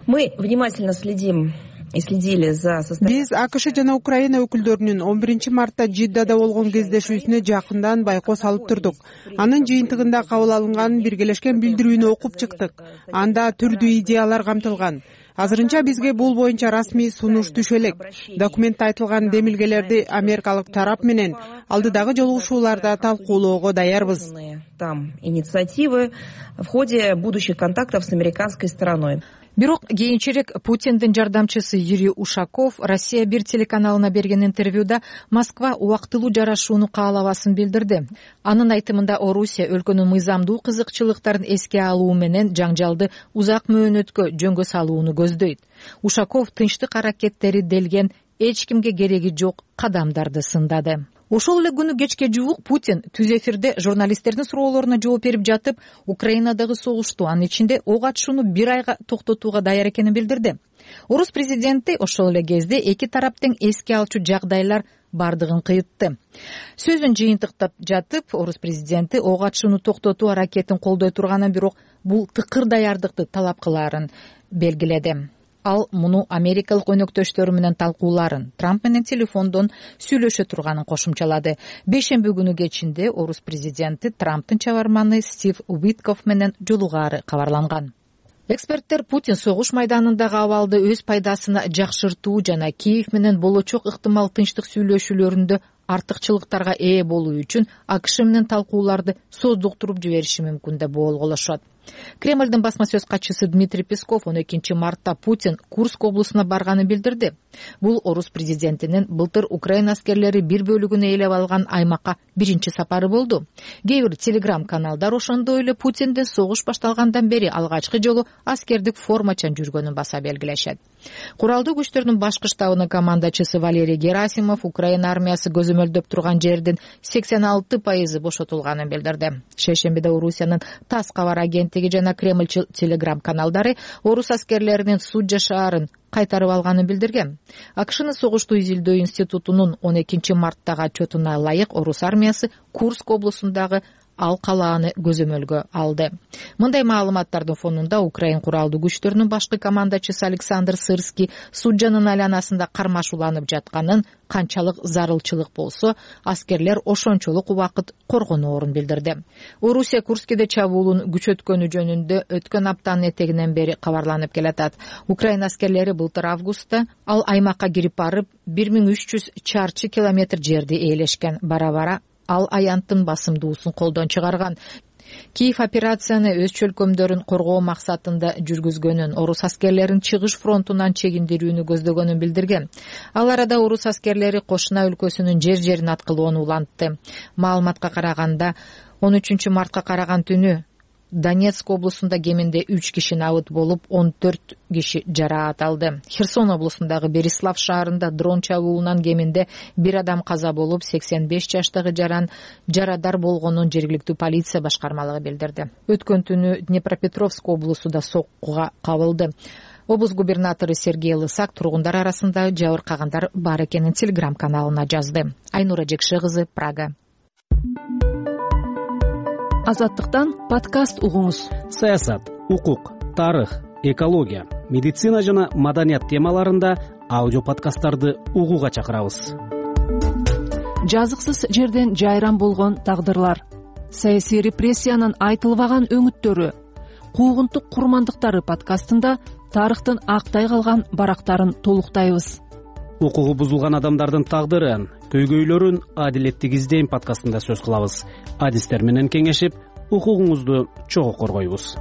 Мы внимательно следим и следили за состоянием. Биз АКШ жана Украина өкүлдөрүнүн 11 мартта Жиддада болгон кездешүүсүнө жакындан байкоо салып турдук. Анын жыйынтыгында кабыл алынган биргелешкен билдирүүнү окуп чыктык. Анда түрдүү идеялар камтылган. Азырынча бизге бул боюнча расмий сунуш түшө элек. Документте айтылган демилгелерди америкалык тарап менен алдыдагы жолугушууларда талкуулоого даярбыз. Там инициативы в ходе будущих контактов с американской стороной. Бирок кийинчерээк Путиндин жардамчысы Юрий Ушаков Россия 1 телеканалына берген интервьюда Москва убактылуу жарашууну каалабасын билдирди. Анын айтымында Орусия өлкөнүн мыйзамдуу кызыкчылыктарын эске алуу менен жаңжалды узак мөөнөткө жөнгө салууну көздөйт. Ушаков тынчтык аракеттери делген эч кимге кереги жок кадамдарды сындады. Ошол эле күнү кечке жуук Путин түз эфирде журналисттердин суроолоруна жооп берип жатып, Украинадагы согушту, анын ичинде ок атышууну 1 айга токтотууга даяр экенин билдирди. Орус президенти ошол эле кезде эки тараптын эске алчу жагдайлар бардыгын кыйтты. Сөзүн жыйынтыктап жатып, Орус президенти ок атышууну токтотуу аракетин колдой турганын, бирок бул тыкыр даярдыкты талап кылаарын белгиледи. Ал муну америкалык өнөктөштөрү менен талкууларын, Трамп менен телефондон сүйлөшө турганын кошумчалады. Бейшемби күнү кечинде Орус президенти Трамптын чабарманы Стив Уитков менен жолугаары кабарланган. Эксперттер Путин согуш майданындагы абалды өз пайдасына жакшыртуу жана Киев менен болочок ыктымал тынчтык сүйлөшүүлөрүндө артыкчылыктарга ээ болуу үчүн АКШ менен талкууларды создуктуруп жибериши мүмкүн деп болголошот. Кремлдин басма сөз катчысы Дмитрий Песков 12 мартта Путин Курск облусуна барганын билдирди. Бул Орус президентинин былтыр Украина аскерлери бир бөлүгүн ээлеп алган аймакка биринчи сапары болду. Кээ бир телеграм-каналдар ошондой эле Путиндин согуш башталгандан бери алгачкы жолу аскердик формачан жүргөнүн баса белгилешет. Куралдуу күчтөрдүн башкы штабынын командачысы Валерий Герасимов Украина армиясы көзөмөлдөп турган жердин 86% бошотулганын билдирди. Шейшембиде Орусиянын ТАСС кабар агенттиги жана Кремль телеграм-каналдары Орус аскерлеринин Суджа шаарын кайтарып алганын билдирген. АКШнын согушту изилдөө институтунун 12 марттагы отчетуна ылайык Орус армиясы Курск облусундагы ал калааны көзөмөлгө алды. Мындай маалыматтардын фонунда Украин куралдуу күчтөрүнүн башкы командачысы Александр Сырский Суджанын айланасында кармашууланып жатканын, канчалык зарылчылык болсо, аскерлер ошончолук убакыт коргоноорун билдирди. Орусия Курскиде чабуулун күчөткөнү жөнүндө өткөн аптанын этегинен бери кабарланып келатат. Украин аскерлери былтыр августта ал аймакка кирип барып, 1300 чарчы километр жерди ээлешкен. Бара-бара ал аянттын басымдуусун колдон чыгарган. Киев операцияны өз чөлкөмдөрүн коргоо максатында жүргүзгөнүн, орус аскерлерин чыгыш фронтунан чегиндирүүнү көздөгөнүн билдирген. Ал арада орус аскерлери Кошуна өлкөсүнүн жер-жерин аткылоону улантты. Маалыматка караганда 13 мартка караган түнү Донецк облусунда кеминде 3 киши набыт болуп, 14 киши жараат алды. Херсон облусундагы Берислав шаарында дрон чабуулунан кеминде 1 адам каза болуп, 85 жаштагы жарадар болгонун жергиликтүү полиция башкармалыгы билдирди. Өткөн түнү Днепропетровск облусу да соккуга кабылды. Облус губернатору Сергей Лысак тургундар арасында жабыркагандар бар экенин Телеграм каналына жазды. Айнура Жекше кызы, Прага. Азаттыктан подкаст угуңуз. Саясат, укук, тарых, экология, медицина жана маданият темаларында аудио подкасттарды угууга чакырабыз. Жазыксыз жерден жайран болгон тагдырлар, саясий репрессиянын айтылбаган өңүттөрү, куугунтук курмандыктары подкастында тарыхтын актай калган барактарын толуктайбыз. Укугу бузулган адамдардын тагдырын, көйгөйлөрүн адилеттик издейм подкастында сөз кылабыз. Адистер менен кеңешип, укугуңузду чогуу коргойбуз.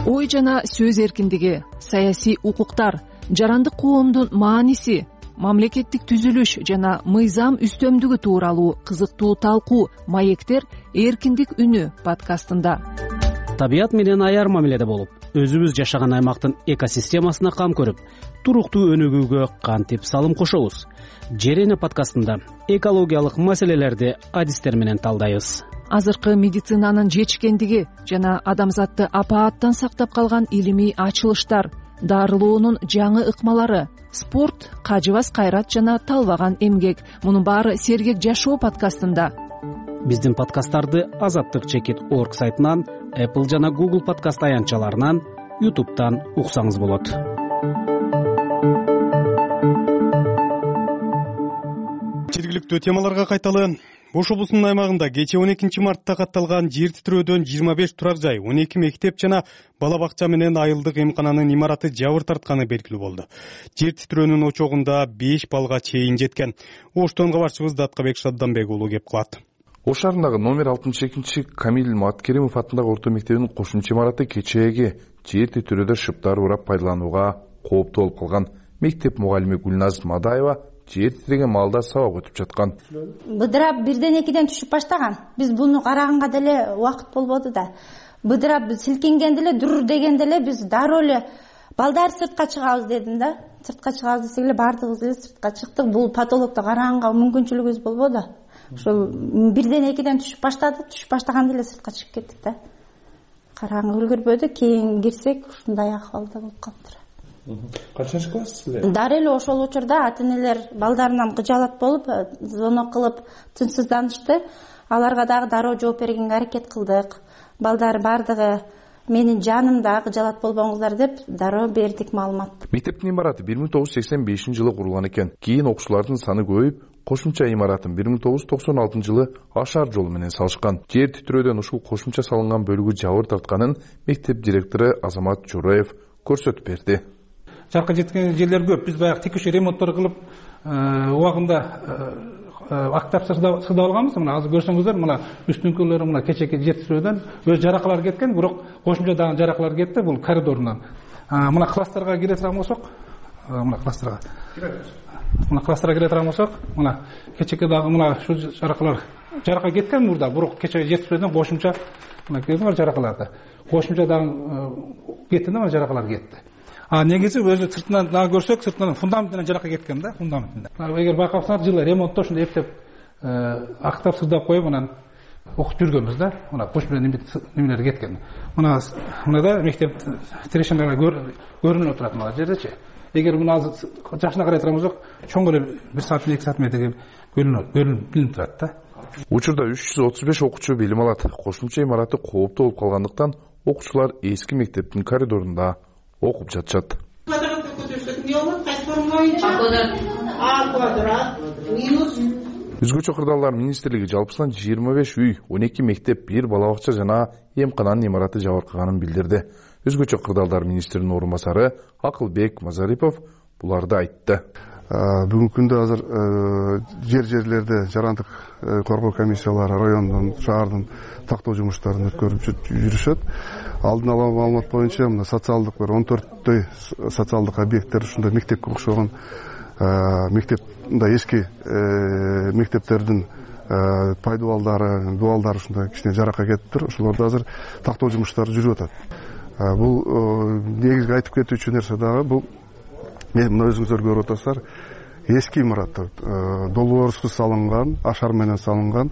Ой жана сөз эркиндиги, саясий укуктар, жарандык коомдун мааниси, мамлекеттик түзүлүш жана мыйзам үстөмдүгү тууралуу кызыктуу талкуу маектер эркиндик үнү подкастында. Табият менен аяр мамиледе болуп, өзүбүз жашаган аймактын экосистемасына кам көрүп, туруктуу өнүгүүгө кантип салым кошобуз? Жер эне подкастында экологиялык маселелерди адистер менен талдайбыз. Азыркы медицинанын жетишкендиги жана адамзатты апааттан сактап калган илимий ачылыштар, дарылоонун жаңы ыкмалары, спорт, кажыбас кайрат жана талбаган эмгек. Мунун баары сергек жашоо подкастында. Биздин подкасттарды azattik.org сайтынан, Apple жана Google подкаст аянтчаларынан, YouTube'дан уксаңыз болот. Жергиликтүү темаларга кайталы. Ош облусунун аймагында кече 12 мартта катталган жер титирөөдөн 25 турар жай, 12 мектеп жана бала бакча менен айылдык эмкананын имараты жабыр тартканы белгилүү болду. Жер титирөөнүн очогунда 5 балга чейин жеткен. Оштон кабарчыбыз Даткабек Шадданбек уулу кеп кылат. Ош шаарындагы номер 62 Камил Маткеримов атындагы орто мектебинин кошумча имараты кечээги жер титирөөдө шыптар урап пайдаланууга кооптуу болуп калган. Мектеп мугалими Гүлназ Мадаева жер титиреген маалда сабак өтүп жаткан. Быдырап 1-2 түшүп баштаган. Биз буну караганга деле убакыт болбоду да. Быдырап силкинген деле, дур деген деле биз дароо эле балдар сыртка чыгабыз дедим да. Сыртка чыгабыз десек эле баардыгыбыз эле сыртка чыктык. Бул патологду караганга мүмкүнчүлүгүбүз болбоду. Ошол 1-2 түшүп баштады, түшүп баштаганда эле сыртка чыгып кеттик да. Караганга үлгүрбөдүк, кийин кирсек ушундай акыбалда болуп калыптыр. Качанчы класссыздар? Дары эле ошол учурда ата-энелер балдарынан кыжаалат болуп, звонок кылып тынчсызданышты. Аларга дагы дароо жооп бергенге аракет кылдык. Балдар бардыгы менин жанымда кыжаалат болбоңуздар деп дароо бердик маалымат. Мектептин имараты 1985-жылы курулган экен. Кийин окуучулардын саны көбөйүп, кошумча имаратын 1996-жылы ашар жолу менен салышкан. Жер титирөөдөн ушул кошумча салынган бөлүгү жабыр тартканын мектеп директору Азамат Жураев көрсөтүп берди. Жарка жеткен жерлер көп. Биз баягы текущий ремонттор кылып, убагында актап сырдап алганбыз. Мына азыр көрсөңүздөр, мына үстүңкүлөрү мына кечеки жер титирөөдөн өз жаракалар кеткен, бирок кошумча дагы жаракалар кетти бул коридорунан. Мына класстарга кире турган болсок, мына класстарга. Мына класстарга кире турган болсок, мына кечеки дагы мына ушу жарака кеткен мурда, бирок кечеки жер титирөөдөн кошумча мына кеткен жаракаларды. Кошумча дагы кетти да, мына жаракалар кетти. Негизи өзү сыртынан дагы көрсөк, сыртынан фундаментинен жарака кеткен да, фундаментинен. Эгер байкасаңар, жылы ремонтто ушундай эптеп актап сырдап коюп, анан окуп жүргөнбүз да. Мына кошумча немелер кеткен. Мына да мектеп тирешемелер көрүнүп турат мына жердечи. Эгер муну азыр жашына карай турган болсок, чоң эле 1 саат 2 саат метрге көрүнүп турат да. Учурда 335 окуучу билим алат. Кошумча имараты кооптуу болуп калгандыктан окуучулар эски мектептин коридорунда окуп жатышат. Өзгөчө кырдаалдар министрлиги жалпысынан 25 үй, 12 мектеп, 1 бала бакча жана эмкананын имараты жабыркаганын билдирди. Өзгөчө кырдаалдар министринин орун басары Акылбек Мазарипов буларды айтты. Бүгүнкү күндө азыр жерлерде жарандык коргоо комиссиялары райондун, шаардын тактоо жумуштарын өткөрүп жүрүшөт. Алдын ала маалымат боюнча мына социалдык 14 социалдык объекттер ушундай мектепке окшогон мектеп мындай эски мектептердин пайдубалдары, дуалдары ушундай кичине жаракка кетиптир. Ошолорду азыр тактоо жумуштары жүрүп атат. Бул негизги айтып кетүүчү нерсе дагы бул мына өзүңүздөр көрүп атасыздар, эски имараттар, долбоорсуз салынган, ашар менен салынган,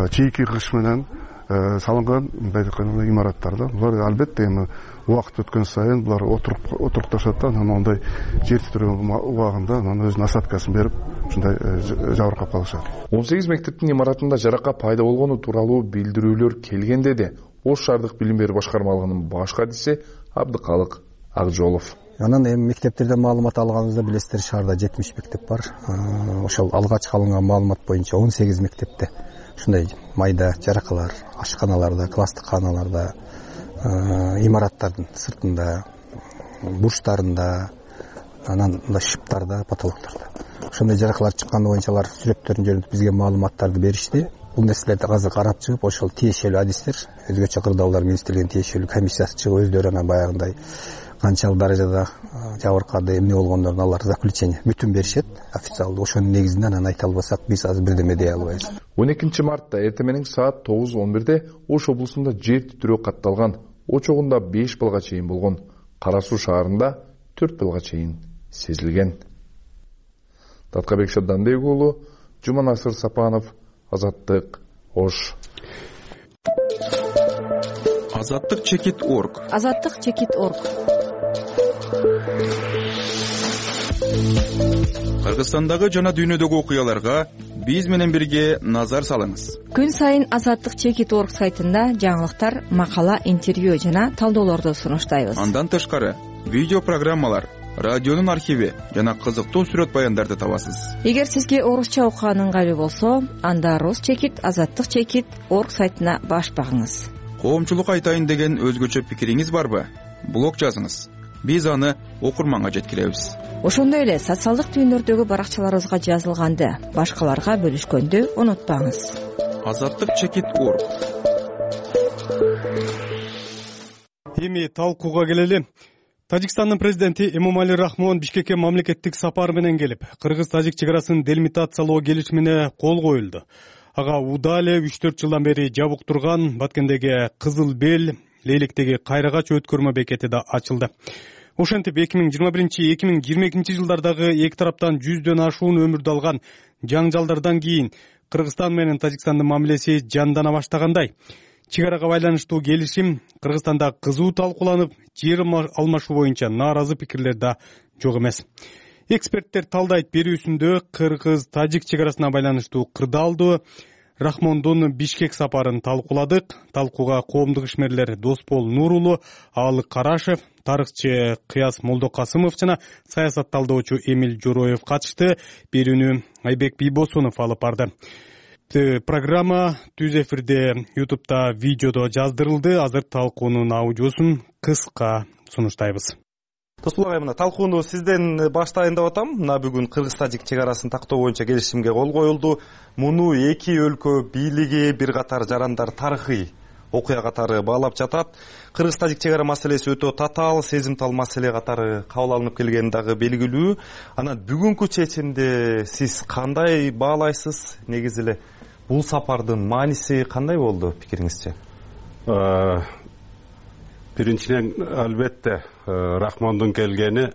чийки кыш менен салынган мындай имараттар да. Булар албетте эми убакыт өткөн сайын булар отурукташат да, анан ондай жер титирөө убагында анан өзүнүн осадкасын берип, ушундай жабыркап калышат. 18 мектептин имаратында жарака пайда болгону тууралуу билдирүүлөр келгенде де Ош шаардык билим берүү башкармалыгынын баш кадиси Абдыкалык Акжолов. Анан эми мектептерден маалымат алганыбызда билесиздер, шаарда 70 мектеп бар. Ошол алгач алынган маалымат боюнча 18 мектепте ушундай майда жаракалар, ашканаларда, класстык кааналарда, имараттардын сыртында, бурчтарында, анан мындай шыптарда, потолоктордо ошондой жаракалар чыкканы боюнча алар сүрөттөрүн жөнүнтүп бизге маалыматтарды беришти. Бул нерселерди азыр карап чыгып, ошол тиешелүү адистер, өзгөчө кырдаалдар министрлигинин тиешелүү комиссиясы чыгып, өздөрү анан баягындай канчалык даражада жабыркады, эмне болгондорун алар заключение бүтүн беришет официалдуу. Ошонун негизинде анан айта албасак, биз азыр бирдеме дей албайбыз. 12-мартта эртең менен саат 9:11 Ош облусунда жер титирөө катталган. Очогунда 5 балга чейин болгон. Кара Суу шаарында 4 балга чейин сезилген. Таткабек Шабданбек уулу, Жуманасыр Сапанов, Азаттык, Ош. Азаттык чекит.орг. Азаттык чекит.орг. Кыргызстандагы жана дүйнөдөгү окуяларга биз менен бирге назар салыңыз. Күн сайын Азаттык чекит.орг сайтында жаңылыктар, макала, интервью жана талдоолорду сунуштайбыз. Андан тышкары видео программалар, радионун архиви жана кызыктуу сүрөт баяндарды табасыз. Эгер сизге орусча окуган ыңгайлуу болсо, анда Рус чекит, Азаттык чекит.орг сайтына баш багыңыз. Коомчулук айтайын деген өзгөчө пикириңиз барбы? Блог жазыңыз. Биз аны окурманга жеткиребиз. Ошондой эле социалдык түйүндөрдөгү баракчаларыбызга жазылганды башкаларга бөлүшкөндү унутпаңыз. Азаттык чекит.орг. Эми талкууга келели. Тажикстандын президенти Эмомали Рахмон Бишкекке мамлекеттик сапар менен келип, кыргыз-тажик чек арасын делимитациялоо келишимине кол коюлду. Ага Удале 3-4 жылдан бери жабык турган Баткендеги Кызыл Бел, Лейлектеги Кайрагач өткөрмө бекети да ачылды. Ошентип 2021-2022 жылдардагы эки тараптан 100дөн ашуун өмүрдү алган жаңжалдардан кийин Кыргызстан менен Тажикстандын мамилеси жандана баштагандай. Чек арага байланыштуу келишим Кыргызстанда кызуу талкууланып, жер алмашуу боюнча нааразы пикирлер да жок эмес. Эксперттер талдайт берүүсүндө кыргыз-тажик чек арасына байланыштуу кырдаалдуу Рахмондун Бишкек сапарын талкууладык. Талкууга коомдук ишмерлер Доспол Нурулу, Аалык Карашев, тарыхчы Кыяс Молдокасымов жана саясат талдоочу Эмил Жороев катышты. Берүүнү Айбек Бийбосунов алып барды. Программа түз эфирде YouTube'да видеодо жаздырылды. Азыр талкуунун аудиосун кыска сунуштайбыз. Доспол агай, мына талкууну сизден баштайын деп атам. Мына бүгүн кыргыз-тажик чек арасын тактоо боюнча келишимге кол коюлду. Муну эки өлкө бийлиги, бир катар жарандар тарыхый окуя катары баалап жатат. Кыргыз-тажик чек ара маселеси өтө татаал, сезимтал маселе катары кабыл алынып келгени дагы белгилүү. Анан бүгүнкү чечимди сиз кандай баалайсыз? Негизи эле бул сапардын мааниси кандай болду пикириңизче? Биринчиден албетте Рахмондун келгени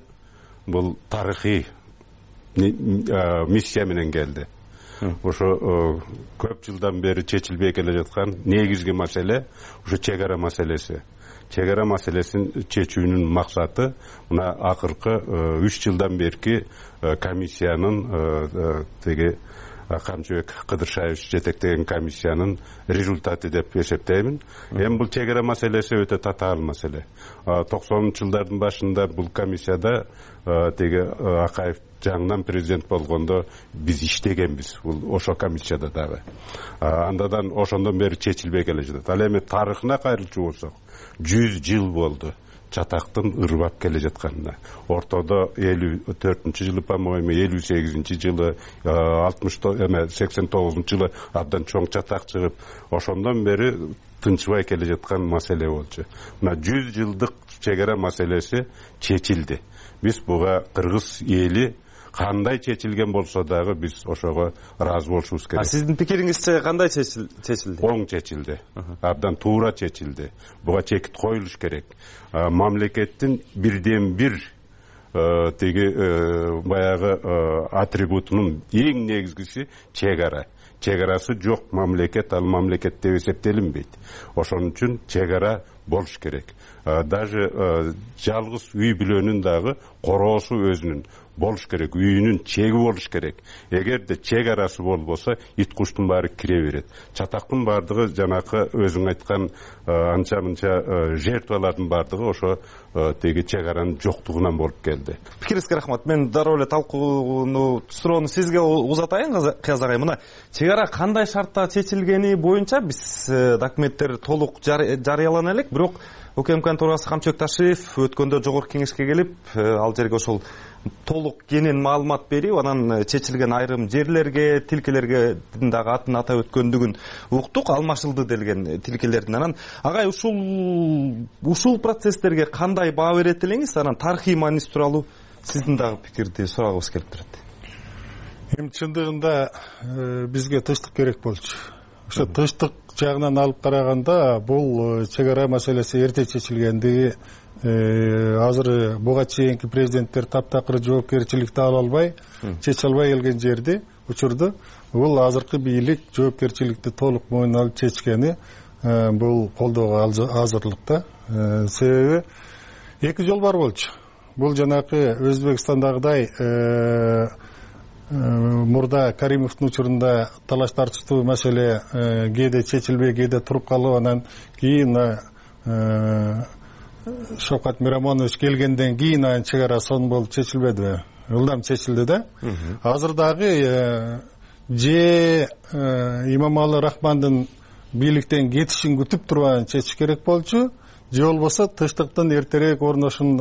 бул тарыхый миссия менен келди. Ошо көп жылдан бери чечилбей келе жаткан негизги маселе ошо чек ара маселеси. Чек ара маселесин чечүүнүн максаты мына акыркы 3 жылдан берки комиссиянын теги Камчыбек Кыдыршаевич жетектеген комиссиянын результаты деп эсептеймин. Эми бул чек ара маселеси өтө татаал маселе. 90-жылдардын башында бул комиссияда теги Акаев жаңынан президент болгондо биз иштегенбиз бул ошо комиссияда дагы. Андан ошондон бери чечилбей келе жатат. Ал эми тарыхына кайрылчу болсок 100 жыл болду чатактын ырбап келе жатканына. Ортодо 54-жылы, по-моему, 58-жылы, 89-жылы абдан чоң чатак чыгып, ошондон бери тынчыбай келе жаткан маселе болчу. Мына 100 жылдык чек ара маселеси чечилди. Биз буга кыргыз эли кандай чечилген болсо дагы биз ошого ыраазы болушубуз керек. Сиздин пикириңизче кандай чечилди? Оң чечилди. Абдан туура чечилди. Буга чекит коюлуш керек. Мамлекеттин бирден бир теги баягы атрибутунун эң негизгиси чек ара. Чек арасы жок мамлекет ал мамлекет деп эсептелинбейт. Ошон үчүн чек ара болуш керек. Даже жалгыз үй бүлөнүн дагы короосу өзүнүн болуш керек, үйүнүн чеги болуш керек. Эгерде чек арасы болбосо, ит куштун баары кире берет. Чатактын баардыгы жанакы өзүң айткан анча-мынча жертвалардын баардыгы ошо теги чек аранын жоктугунан болуп келди. Пикириңизге рахмат. Мен дароо эле талкууну суроону сизге узатайын, Кыяз агай. Мына чек ара кандай шартта чечилгени боюнча биз документтер толук жарыялана элек, бирок УКМКнын төрагасы Камчыбек Ташиев өткөндө жогорку кеңешке келип, ал жерге ошол толук кенен маалымат берип, анан чечилген айрым жерлерге, тилкелерге дагы атын атап өткөндүгүн уктук, алмашылды делген тилкелердин. Анан агай ушул процесстерге кандай баа берет элеңиз? Анан тарыхый мааниси тууралуу сиздин дагы пикирди сурагыбыз келип турат. Эми чындыгында бизге тынчтык керек болчу. Ошо тынчтык жагынан алып караганда бул чек ара маселеси эрте чечилгендиги азыр буга чейинки президенттер таптакыр жоопкерчиликти ала албай, чече албай келген жерди, учурду бул азыркы бийлик жоопкерчиликти толук мойнуна алып чечкени бул колдоого азырлыкта. Себеби эки жол бар болчу. Бул жанакы Өзбекстандагыдай мурда Каримовдун учурунда талаш тартыштуу маселе кээде чечилбей, кээде туруп калып, анан кийин Шовкат Мирамонович келгенден кийин анын чек ара сон болуп чечилбедиби? Ылдам чечилди да. Азыр дагы же Имамалы Рахмандын бийликтен кетишин күтүп турбай чечиш керек болчу, же болбосо тынчтыктын эртерээк орношун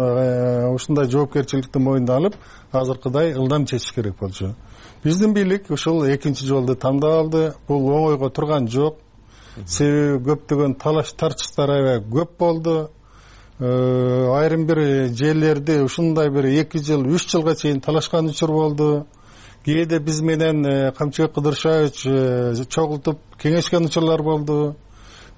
ушундай жоопкерчиликти мойнуна алып, азыркыдай ылдам чечиш керек болчу. Биздин бийлик ушул экинчи жолду тандап алды. Бул оңойго турган жок. Себеби көптөгөн талаш тартыштар аябай көп болду. Айрым бир жерлерди ушундай бир 2 жыл, 3 жылга чейин талашкан учур болду. Кээде биз менен Камчыбек Кыдыршаевич чогултуп кеңешкен учурлар болду.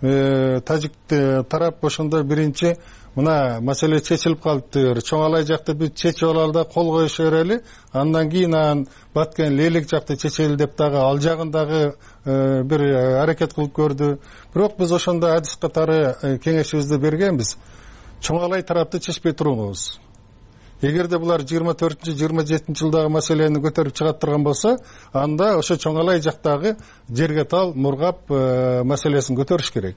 Тажик тарап ошондо биринчи мына маселе чечилип калыптыр, Чоңалай жакты биз чечип алалы да кол коюшу берели, андан кийин Баткен Лейлек жакты чечели деп дагы ал жагын дагы бир аракет кылып көрдү. Бирок биз ошондо адис катары кеңешибизди бергенбиз. Чоңалай тарапты чечпей туруңуз. Эгерде булар 24-27 жылдагы маселени көтөрүп чыгат турган болсо, анда ошо Чоңалай жактагы жерге тал, мургап маселесин көтөрүш керек.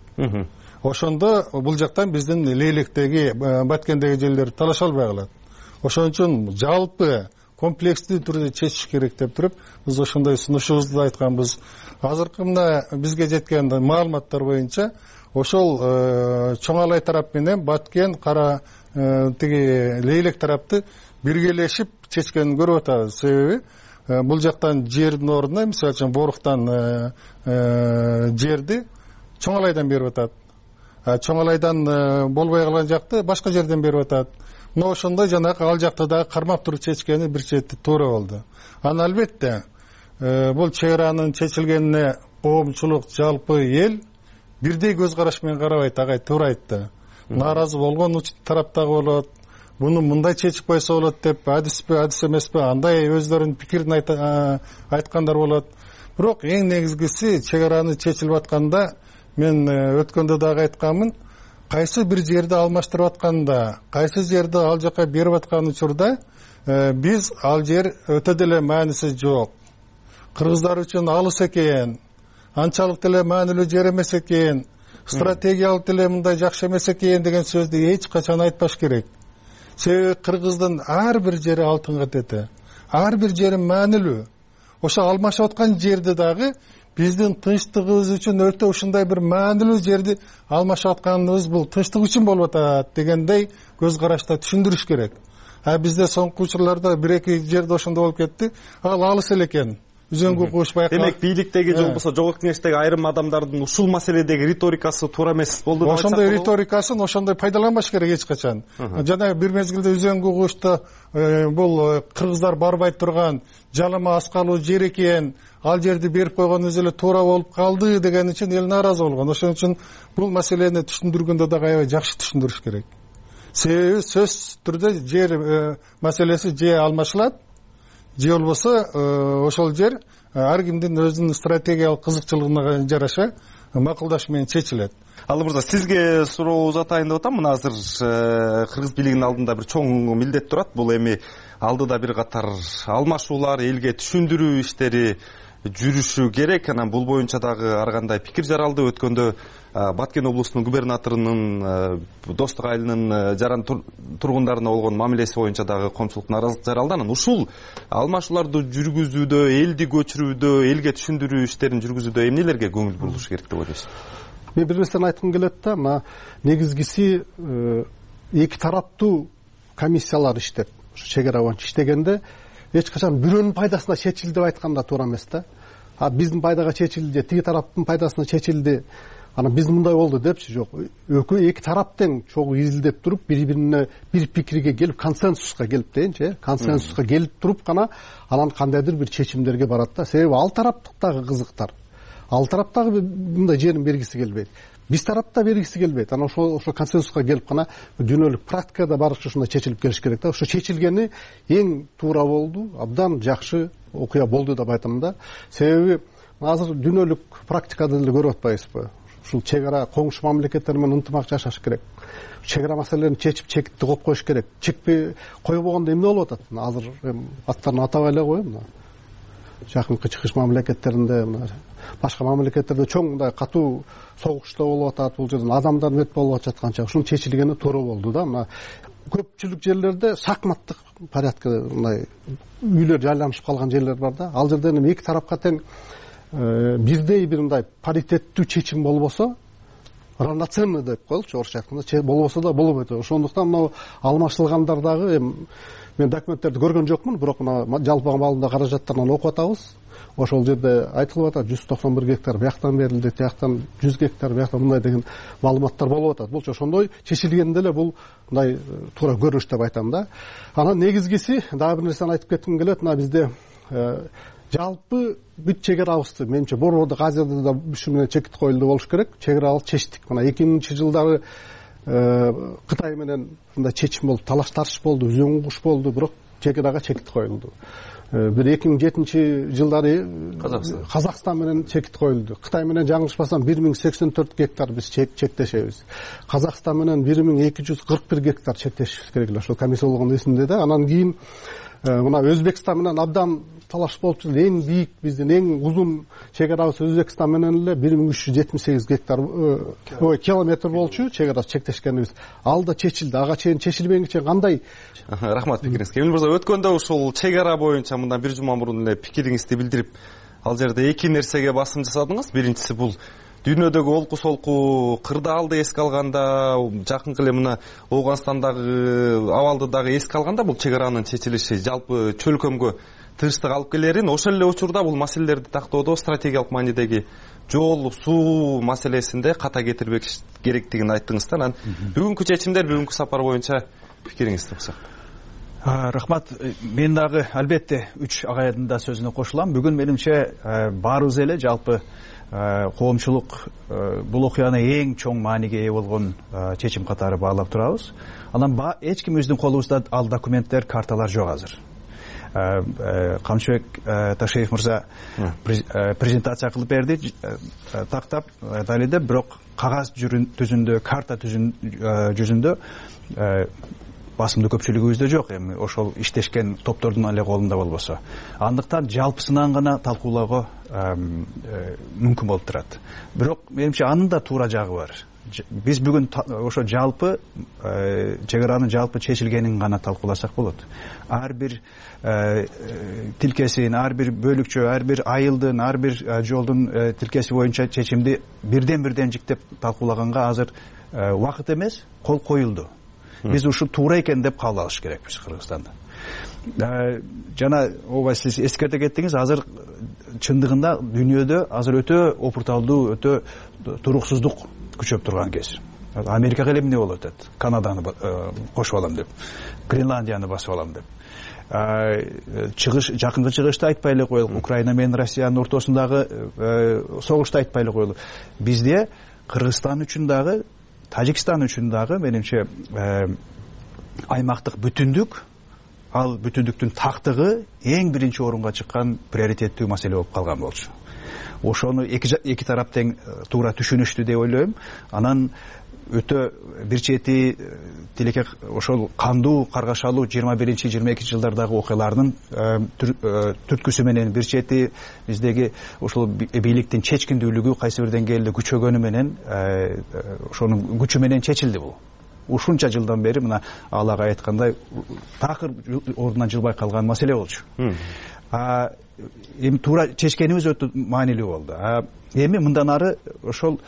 Ошондо бул жактан биздин Лейлектеги, Баткендеги жерлер талаша албай калат. Ошон үчүн жалпы комплекстүү түрдө чечиш керек деп туруп, биз ошондой сунушубузду айтканбыз. Азыркы мына бизге жеткен маалыматтар боюнча ошол Чоңалай тарап менен Баткен, Кара тиги Лейлек тарапты биргелешип чечкенин көрүп атабыз. Себеби бул жактан жердин ордуна, мисалы үчүн Боруктан жерди Чоңалайдан берип атат. Чоңалайдан болбой калган жакты башка жерден берип атат. Но ошондой жанагы ал жакты дагы кармап туруп чечкени бир чети туура болду. Аны албетте бул чек аранын чечилгенине коомчулук, жалпы эл бирдей көз караш менен карабайт, агай туура айтты. Нааразы болгон тараптагы болот, буну мындай чечип койсо болот деп, адиспи, адис эмеспи, андай өздөрүнүн пикирин айткандар болот. Бирок эң негизгиси чек араны чечилип атканда мен өткөндө дагы айтканмын, кайсы бир жерди алмаштырып атканда, кайсы жерди ал жака берип аткан учурда биз ал жер өтө деле мааниси жок. кыргыздар үчүн алыс экен, анчалык деле маанилүү жер эмес экен, стратегиялык деле мындай жакшы эмес экен деген сөздү эч качан айтпаш керек. Себеби кыргыздын ар бир жери алтынга тети, ар бир жери маанилүү. Ошо алмашып аткан жерди дагы биздин тынчтыгыбыз үчүн өтө ушундай бир маанилүү жерди алмашып атканыбыз бул тынчтык үчүн болуп атат дегендей көз карашта түшүндүрүш керек. Бизде соңку учурларда бир эки жерде ошондой болуп кетти. Ал алыс эле экен. Үзөңгү куш байкалат. Демек бийликтеги же болбосо жогорку кеңештеги айрым адамдардын ушул маселедеги риторикасы туура эмес болду деп айтсак болобу? Ошондой риторикасын ошондой пайдаланбаш керек эч качан. Жана бир мезгилде үзөңгү кушта бул кыргыздар барбай турган жалама аскалуу жер экен, ал жерди берип койгонубуз эле туура болуп калды деген үчүн эл нааразы болгон. Ошон үчүн бул маселени түшүндүргөндө дагы аябай жакшы түшүндүрүш керек. Себеби сөзсүз түрдө жер маселеси же алмашылат, же болбосо ошол жер ар кимдин өзүнүн стратегиялык кызыкчылыгына жараша макулдаш менен чечилет. Алы мырза, сизге суроо узатайын деп атам. Мына азыр кыргыз бийлигинин алдында бир чоң милдет турат. Бул эми алдыда бир катар алмашуулар, элге түшүндүрүү иштери жүрүшү керек. Анан бул боюнча дагы ар кандай пикир жаралды. Өткөндө Баткен облусунун губернаторунун Достук айылынын жаран тургундарына болгон мамилеси боюнча дагы коомчулук нааразылык жаралды. Анан ушул алмашууларды жүргүзүүдө, элди көчүрүүдө, элге түшүндүрүү иштерин жүргүзүүдө эмнелерге көңүл бурулуш керек деп ойлойсуз? Мен бир нерсени айткым келет да, мына негизгиси эки тараптуу комиссиялар иштеп, чек ара боюнча иштегенде эч качан бирөөнүн пайдасына чечилди деп айтканда туура эмес да. Биздин пайдага чечилди, тиги тараптын пайдасына чечилди, анан биз мындай болду депчи, жок. Экөө эки тарап тең чогуу изилдеп туруп, бири-бирине бир пикирге келип, консенсуска келип дейинчи, консенсуска келип туруп гана анан кандайдыр бир чечимдерге барат да. Себеби ал тараптагы кызыктар, ал тараптагы мындай жерин бергиси келбейт. Биз тарапта бергиси келбейт. Анан ошол консенсуска келип гана дүйнөлүк практикада барыкча ушундай чечилип келиш керек да. Ошо чечилгени эң туура болду, абдан жакшы окуя болду деп айтам да. Себеби азыр дүйнөлүк практикада деле көрүп атпайбызбы? Ушул чек ара коңшу мамлекеттер менен ынтымак жашаш керек. Чек ара маселелерин чечип, чекитти коюп коюш керек. Чекпей койбогондо эмне болуп атат? Азыр аттарын атабай эле коеюн. Жакынкы чыгыш мамлекеттеринде, башка мамлекеттерде чоң мындай катуу согуштар болуп атат. Бул жерден адамдар мет болуп жатканча ушунун чечилгени туура болду да. Мына көпчүлүк жерлерде шахматтык порядка мындай үйлөр жайланышып калган жерлер бар да. Ал жерден эки тарапка тең бирдей бир мындай паритеттүү чечим болбосо, равноценный деп коелучу орусча айтканда, болбосо да болбойт. Ошондуктан мына алмашылгандар дагы мен документтерди көргөн жокмун, бирок мына жалпы маалында каражаттарынан окуп атабыз. Ошол жерде айтылып атат 191 гектар бияктан берилди, тияктан 100 гектар бияктан мындай деген маалыматтар болуп атат. Бул ошондой чечилгенде эле бул мындай туура көрүнүш деп айтам да. Анан негизгиси дагы бир нерсени айтып кетким келет. Мына бизде жалпы бүт чек арабызды менимче Борбордук Азияда да ушу менен чекит коюлду болуш керек. Чек арабызды чечтик. Мына 2000-жылдары Кытай менен мындай чечим болуп, талаш тартыш болду, үзөң куш болду, бирок чек арага чекит коюлду. Бир 2007-жылдары Казакстан менен чекит коюлду. Кытай менен жаңылышпасам 1084 гектар биз чектешебиз. Казакстан менен 1241 гектар чектешибиз керек эле. Ошол комиссия болгон эсимде да. Анан кийин мына Өзбекстан менен абдан талаш болуп жүрдү. Эң бийик биздин эң узун чек арабыз Өзбекстан менен эле 1378 гектар километр болчу чек арасы чектешкенибиз. Ал да чечилди. Ага чейин чечилбегенче кандай? Рахмат пикириңизге. Эмил мырза, өткөндө ушул чек ара боюнча мындан бир жума мурун эле пикириңизди билдирип, ал жерде эки нерсеге басым жасадыңыз. Биринчиси бул дүйнөдөгү олку солку кырдаалды эске алганда, жакынкы эле мына Ооганстандагы абалды дагы эске алганда бул чек аранын чечилиши жалпы чөлкөмгө тынчтык алып келерин, ошол эле учурда бул маселелерди тактоодо стратегиялык маанидеги жол, суу маселесинде ката кетирбек керектигин айттыңыз да. Анан бүгүнкү чечимдер, бүгүнкү сапар боюнча пикириңизди уруксак. Рахмат. Мен дагы албетте үч агайдын да сөзүнө кошулам. Бүгүн менимче баарыбыз эле жалпы коомчулук бул окуяны эң чоң мааниге ээ болгон чечим катары баалап турабыз. Анан эч кимибиздин колубузда ал документтер, карталар жок азыр. Камчыбек Ташеев мырза презентация кылып берди, тактап далилдеп, бирок кагаз жүзүндө, карта жүзүндө басымдуу көпчүлүгүбүздө жок, эми ошол иштешкен топтордун эле колунда болбосо. Андыктан жалпысынан гана талкуулоого мүмкүн болуп турат. Бирок менимче анын да туура жагы бар. Биз бүгүн ошо жалпы чек аранын жалпы чечилгенин гана талкууласак болот. Ар бир тилкесин, ар бир бөлүкчө, ар бир айылдын, ар бир жолдун тилкеси боюнча чечимди бирден жиктеп талкуулаганга азыр убакыт эмес, кол коюлду. Биз ушул туура экен деп кабыл алыш керекпиз Кыргызстанда. Жана ооба сиз эскерте кеттиңиз, азыр чындыгында дүйнөдө азыр өтө опурталдуу, өтө туруксуздук күчөп турган кез. Америкага эле эмне болуп атат? Канаданы кошуп алам деп, Гренландияны басып алам деп. Жакынкы чыгышты айтпай эле коелук, Украина менен Россиянын ортосундагы согушту айтпай эле коелук. Бизде Кыргызстан үчүн дагы, Тажикстан үчүн дагы менимче аймактык бүтүндүк, ал бүтүндүктүн тактыгы эң биринчи орунга чыккан приоритеттүү маселе болуп калган болчу. Ошону эки тарап тең туура түшүнүштү деп ойлойм. Анан өтө бир чети тилеке ошол кандуу каргашалуу 21-22 жылдардагы окуялардын түрткүсү менен бир чети биздеги ошол бийликтин чечкиндүүлүгү кайсы бир деңгээлде күчөгөнү менен ошонун күчү менен чечилди бул. Ушунча жылдан бери мына Алага айткандай такыр ордунан жылбай калган маселе болчу. Эми туура чечкенибиз өтө маанилүү болду. Эми мындан ары ошол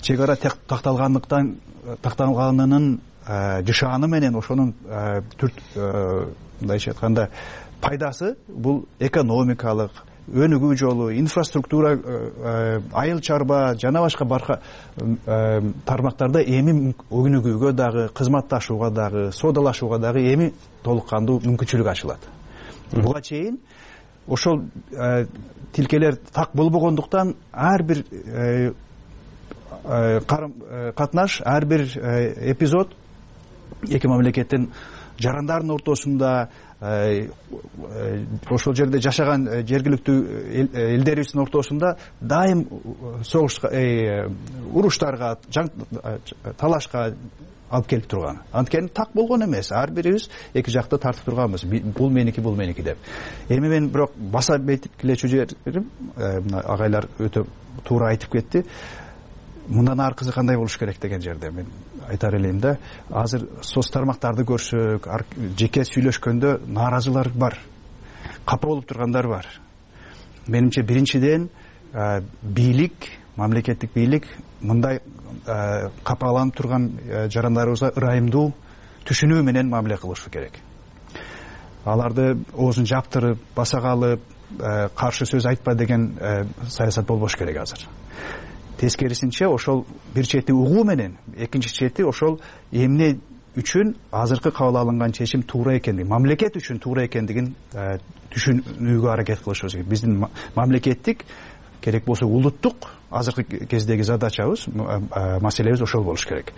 чек ара такталганынын жышааны менен ошонун мындайча айтканда пайдасы бул экономикалык, өнүгүү жолу, инфраструктура, айыл чарба жана башка тармактарда эми өнүгүүгө дагы, кызматташууга дагы, соодалашууга дагы эми толук кандуу мүмкүнчүлүк ачылат. Буга чейин ошол тилкелер так болбогондуктан ар бир катнаш, ар бир эпизод эки мамлекеттин жарандардын ортосунда, ошол жерде жашаган жергиликтүү элдерибиздин ортосунда дайым согушка, уруштарга, талашка алып келип турган. Анткени так болгон эмес. Ар бирибиз эки жакты тартып турганбыз. Бул меники деп. Эми мен бирок баса белгилечү жерим, агайлар өтө туура айтып кетти. Мындан аркысы кандай болуш керек деген жерде мен айтар элем да. Азыр соц тармактарды көрсөк, жеке сүйлөшкөндө нааразылар бар. Капа болуп тургандар бар. Менимче биринчиден бийлик, мамлекеттик бийлик мындай капаланып турган жарандарыбызга ырайымдуу түшүнүү менен мамиле кылышы керек. Аларды оозун жаптырып, баса калып, каршы сөз айтпа деген саясат болбош керек азыр. Тескерисинче ошол бир чети угуу менен, экинчи чети ошол эмне үчүн азыркы кабыл алынган чечим туура экендигин, мамлекет үчүн туура экендигин түшүнүүгө аракет кылышыбыз керек. Биздин мамлекеттик, керек болсо улуттук азыркы кездеги задачабыз, маселебиз ошол болуш керек.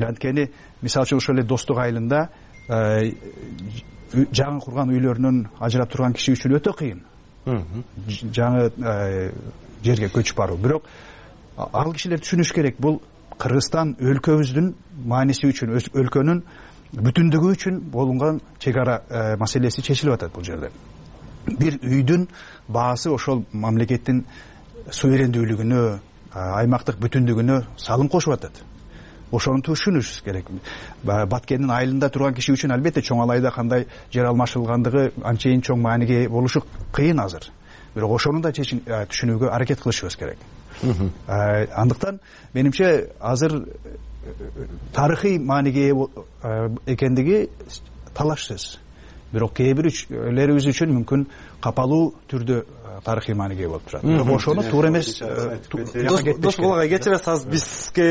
Анткени мисалы үчүн ошол эле достук айылында жаңы курган үйлөрүнөн ажырап турган киши үчүн өтө кыйын. Жаңы жерге көчүп баруу. Бирок ал кишилер түшүнүш керек, бул Кыргызстан өлкөбүздүн мааниси үчүн, өлкөнүн бүтүндүгү үчүн болгон чек ара маселеси чечилип атат бул жерде. Бир үйдүн баасы ошол мамлекеттин суверендүүлүгүнө, аймактык бүтүндүгүнө салым кошуп атат. Ошону түшүнүш керек. Баткендин айылында турган киши үчүн албетте чоң алайда кандай жер алмашылгандыгы анчейин чоң мааниге болушу кыйын азыр. Бирок ошону да түшүнүүгө аракет кылышыбыз керек. Андыктан менимче азыр тарыхый мааниге экендиги талашсыз. Бирок кээ бирлерибиз үчүн мүмкүн капалуу түрдө тарыхый мааниге болуп турат. Бирок ошону туура эмес. Досбол агай, кечиресиз, азыр бизге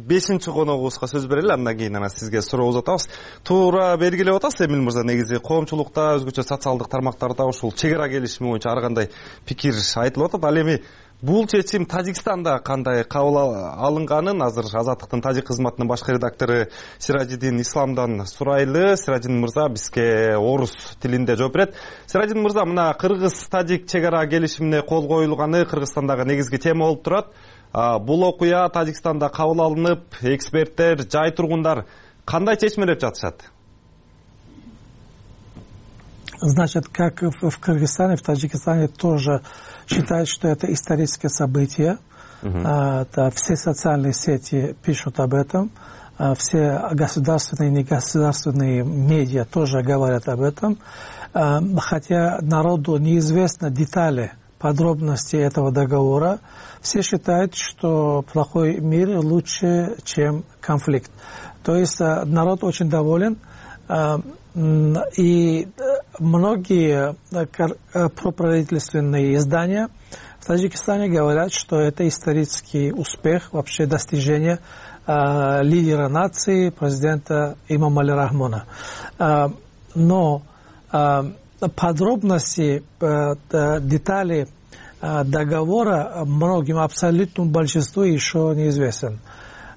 5-чи коногубузга сөз берели, андан кийин сизге суроо узатабыз. Туура белгилеп атасыз, Эмил мырза, негизи коомчулукта, өзгөчө социалдык тармактарда ушул чек ара келишими боюнча ар кандай пикир айтылып атат. Ал эми бул чечим Тажикстанда кандай кабыл алынганын азыр Азаттыктын тажик кызматынын башкы редактору Сиражидин Исламдан сурайлы. Сиражидин мырза бизге орус тилинде жооп берет. Сиражидин мырза, мына кыргыз-тажик чек ара келишимине кол коюлганы Кыргызстандагы негизги тема болуп турат. Бул окуя Тажикстанда кабыл алынып, эксперттер, жай тургундар кандай чечмелеп жатышат? Значит, как в Кыргызстане, в Таджикистане тоже считают, что это историческое событие. Все социальные сети пишут об этом. Все государственные и негосударственные медиа тоже говорят об этом. Хотя народу неизвестны детали, подробности этого договора, все считают, что плохой мир лучше, чем конфликт. То есть народ очень доволен. И многие проправительственные издания в Таджикистане говорят, что это исторический успех, вообще достижение лидера нации, президента Имамали Рахмона. Но подробности, детали договора многим, абсолютному большинству еще неизвестен.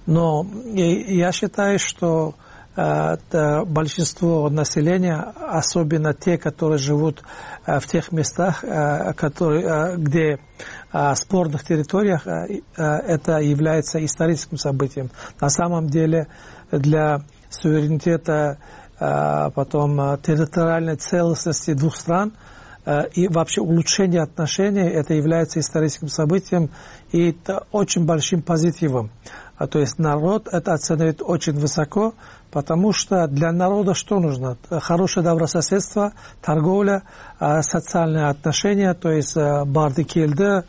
Но я считаю, что большинство населения, особенно те, которые живут в тех местах, где спорных территориях, это является историческим событием. На самом деле для суверенитета, потом территориальной целостности двух стран и вообще улучшение отношений, это является историческим событием и это очень большим позитивом. То есть народ это оценивает очень высоко, потому что для народа что нужно? Хорошее добрососедство, торговля, социальные отношения, то есть бардикельды,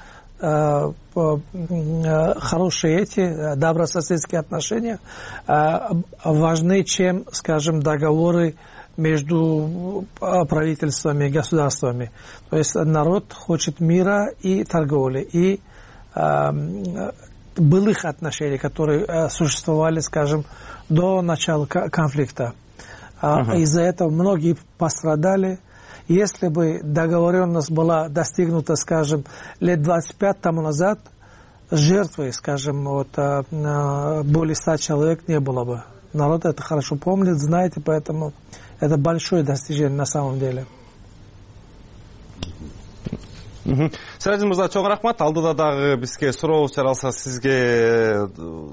хорошие эти добрососедские отношения важны, чем, скажем, договоры между правительствами и государствами. То есть народ хочет мира и торговли, и былых отношений, которые существовали, скажем, до начала конфликта. Из-за этого многие пострадали. Если бы договоренность была достигнута, скажем, лет 25 тому назад, жертвы, скажем, более 100 человек не было бы. Народ это хорошо помнит, знает, и поэтому это большое достижение на самом деле. Сиражин мырза, чоң рахмат. Алдыда дагы бизге суроо чаралса сизге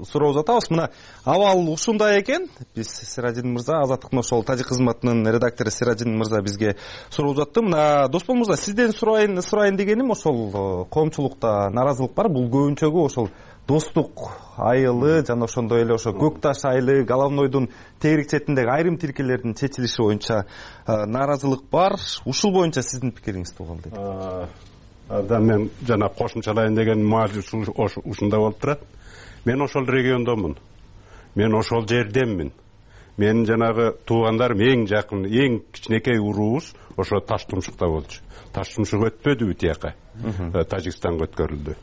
суроо узатабыз. Мына абал ушундай экен. Биз Сиражин мырза, Азаттыктын ошол тажик кызматынын редактору Сиражин мырза бизге суроо узатты. Мына Доспол мырза, сизден сурайын дегеним, ошол коомчулукта наразылык бар. Бул көбүнчөгү ошол достук айылы жана ошондой эле ошо көк таш айылы, Головнойдун тегерек четиндеги айрым тилкелердин чечилиши боюнча наразылык бар. Ушул боюнча сиздин пикириңизди угам дейт. Мен жана кошумчалайын деген маалиш ушундай болуп турат. Мен ошол региондомун. Мен ошол жерденмин. Менин жанагы туугандарым эң жакын, эң кичинекей уруубуз ошо Таштумшукта болчу. Таштумшук өтпөдүбү тияка. Тажикстанга өткөрүлдү.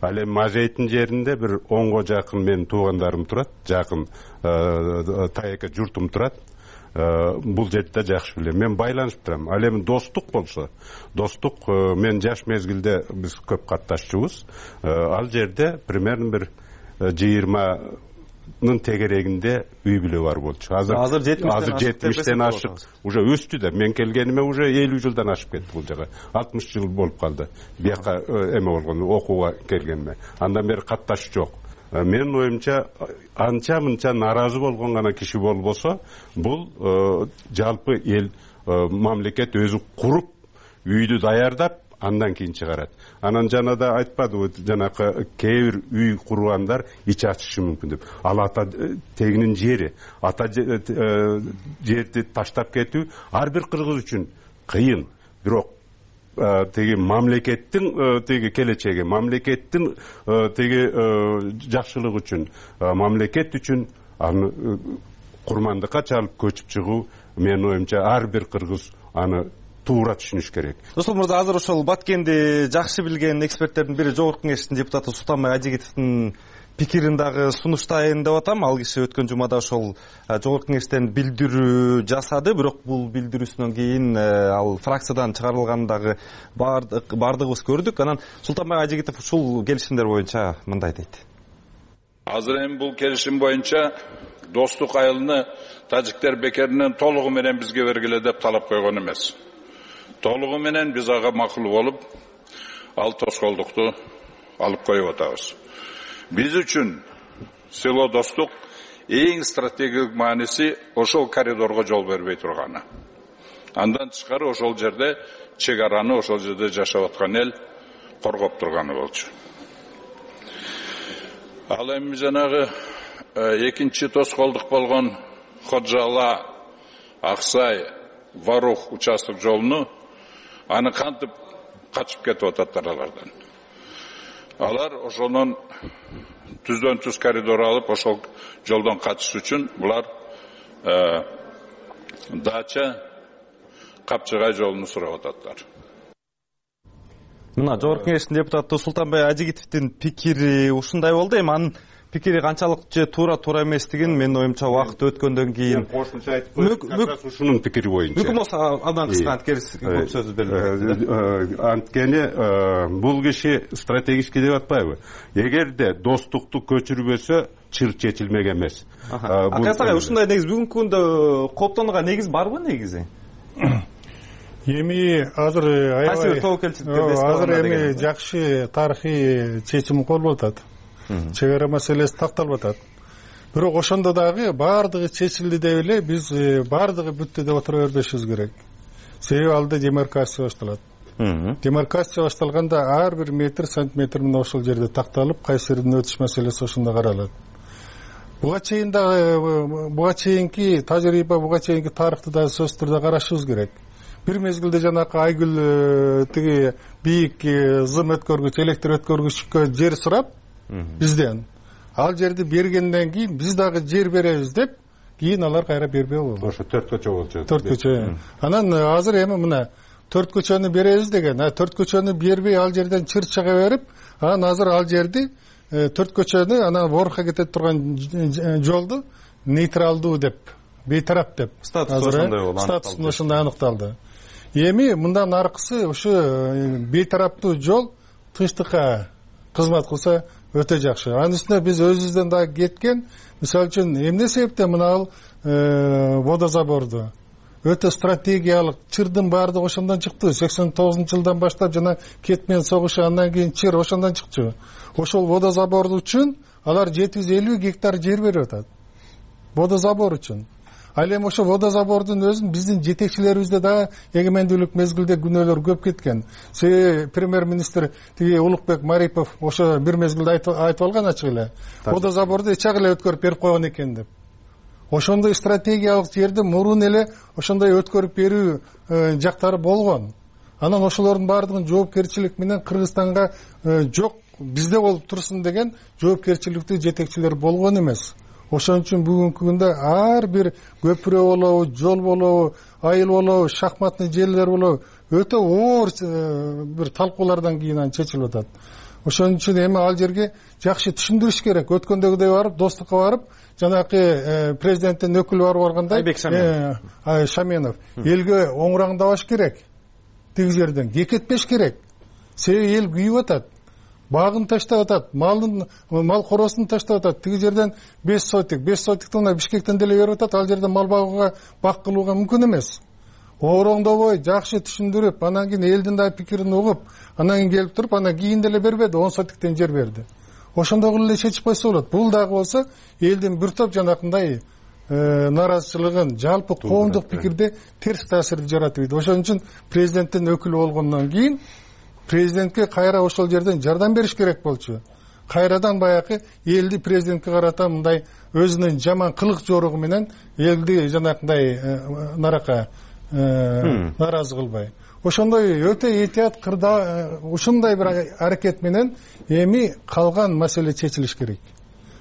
Ал эми Мажейттин жеринде бир 10го жакын менин туугандарым турат, жакын таяка журтум турат. Бул жерде жакшы билем. Мен байланышып турам. Ал эми достук болсо, достук мен жаш мезгилде биз көп катташчубуз. Ал жерде примерно бир 20нын тегерегинде үй бүлө бар болчу. Азыр 70тен ашык уже өстү да. Мен келгениме уже 50 жылдан ашып кетти бул жага. 60 жыл болуп калды. Бияка эме болгон, окууга келгениме. Андан бери катташ жок. Менин оюмча анча-мынча наразы болгон гана киши болбосо, бул жалпы эл, мамлекет өзү куруп, үйдү даярдап, андан кийин чыгарат. Анан жанада айтпадыбы, жанакы кээ бир үй кургандар ич ачышы мүмкүн деп. Ал ата тегинин жери, ата жерди таштап кетүү ар бир кыргыз үчүн кыйын. Бирок теги мамлекеттин теги келечеги, мамлекеттин теги жакшылык үчүн, мамлекет үчүн аны курмандыкка чалып көчүп чыгуу, менин оюмча ар бир кыргыз аны туура түшүнүш керек. Досол мырза, азыр ошол Баткенди жакшы билген эксперттердин бири Жогорку Кеңештин депутаты Султанбай Ажигитовдун пикирин дагы сунуштайын деп атам. Ал киши өткөн жумада ошол Жогорку Кеңештен билдирүү жасады, бирок бул билдирүүсүнөн кийин ал фракциядан чыгарылганын дагы бардыгыбыз көрдүк. Анан Султанбай Ажигитов ушул келишимдер боюнча мындай дейт. Азыр эми бул келишим боюнча достук айылыны тажиктер бекеринен толугу менен бизге бергиле деп талап койгон эмес. Толугу менен биз ага макул болуп, ал тоскоолдукту алып коюп атабыз. Биз үчүн село достук эң стратегиялык мааниси ошол коридорго жол бербей турганы. Андан тышкары ошол жерде чек араны, ошол жерде жашап аткан эл коргоп турганы болчу. Ал эми жанагы экинчи тоскоолдук болгон Ходжала, Аксай, Варух участок жолуну аны кантип качып кетип ататтар алардан. Алар ошонун түздөн түз коридор алып, ошол жолдон качыш үчүн булар Дача, Капчыгай жолуну сурап ататтар. Мына жогорку кеңештин депутаты Султанбай Ажигитовдун пикири ушундай болду. Эми анын пикири канчалык же туура эместигин менин оюмча убакыт өткөндөн кийин кошумча айтып коюп, как раз ушунун пикири боюнча. Мүмкүн болсо абдан кыска анткени сөз берилет. Анткени бул киши стратегический деп атпайбы? Эгерде достукту көчүрбөсө чыр чечилмек эмес. Акасагай ушундай негиз бүгүнкү күндө кооптонууга негиз барбы негизи? Эми азыр азыр эми жакшы тарыхый чечим колуп атат. Чек ара маселеси такталып атат. Бирок ошондо дагы баардыгы чечилди деп эле биз баардыгы бүттү деп отура бербешибиз керек. Себеби алда демаркация башталат. Демаркация башталганда ар бир метр, сантиметр менен ошол жерде такталып, кайсы жерден өтүш маселеси ошондо каралат. Буга чейин дагы буга чейинки тажрыйба, буга чейинки тарыхты да сөзсүз түрдө карашыбыз керек. Бир мезгилде жанакы Айгүл тиги бийик зым өткөргүч, электр өткөргүчкө жер сурап бизден, ал жерди бергенден кийин биз дагы жер беребиз деп, кийин алар кайра бербей болду. Ошо 4 көчө болчу. 4 көчө. Анан азыр эми мына 4 көчөнү беребиз деген, 4 көчөнү бербей ал жерден чыр чыга берип, анан азыр ал жерди 4 көчөнү анан Ворха кетет турган жолду нейтралдуу деп, бейтарап деп. Статусун ошондой аныкталды. Эми мындан аркысы ушу бейтараптуу жол тынчтыкка кызмат кылса өтө жакшы. Анын үстүнө биз өзүбүздөн дагы кеткен, мисалы үчүн эмне себептен мына ал водозаборду өтө стратегиялык чырдын баардыгы ошондон чыкты. 89-жылдан баштап жана кетмен согушу, андан кийин чыр ошондон чыкчу. Ошол водозабор үчүн алар 750 гектар жер берип атат. Водозабор үчүн. Ал эми ошо водозабордун өзүн биздин жетекчилерибизде да эгемендүүлүк мезгилде күнөөлөр көп кеткен. Себеби премьер-министр тиги Улукбек Марипов ошо бир мезгилде айтып алган ачык эле. Водозаборду эч эле өткөрүп берип койгон экен деп. Ошондой стратегиялык жерди мурун эле ошондой өткөрүп берүү жактары болгон. Анан ошолордун баардыгын жоопкерчилик менен Кыргызстанга жок, бизде болуп турсун деген жоопкерчиликтүү жетекчилер болгон эмес. Ошон үчүн бүгүнкү күндө ар бир көпүрө болобу, жол болобу, айыл болобу, шахматный жерлер болобу, өтө оор бир талкуулардан кийин анан чечилип атат. Ошон үчүн эми ал жерге жакшы түшүндүрүш керек. Өткөндөгүдөй барып, достукка барып, жанакы президенттин өкүлү барып алгандай, Айбек Шаменов элге оңураңдабаш керек. Тиги жерден кекетпеш керек. Себеби эл күйүп атат. Багын таштап атат, мал коросун таштап атат. Тиги жерден 5 сотиктен мына Бишкектен деле берип атат. Ал жерде мал багууга, бак кылууга мүмкүн эмес. Ороңдобой, жакшы түшүндүрүп, анан кийин элдин да пикирин угуп, анан кийин келип туруп, анан кийин деле бербеди, 10 сотиктен жер берди. Ошондой эле чечип койсо болот. Бул дагы болсо элдин бир топ жанакындай наразычылыгын, жалпы коомдук пикирде терс таасирди жаратып. Ошон үчүн президенттин өкүлү болгондон кийин президентке кайра ошол жерден жардам бериш керек болчу. Кайрадан баягы элди президентке карата мындай өзүнүн жаман кылык жоругу менен элди жанакындай нарака наразы кылбай. Ошондой өтө этият кырда ушундай бир аракет менен эми калган маселе чечилиш керек.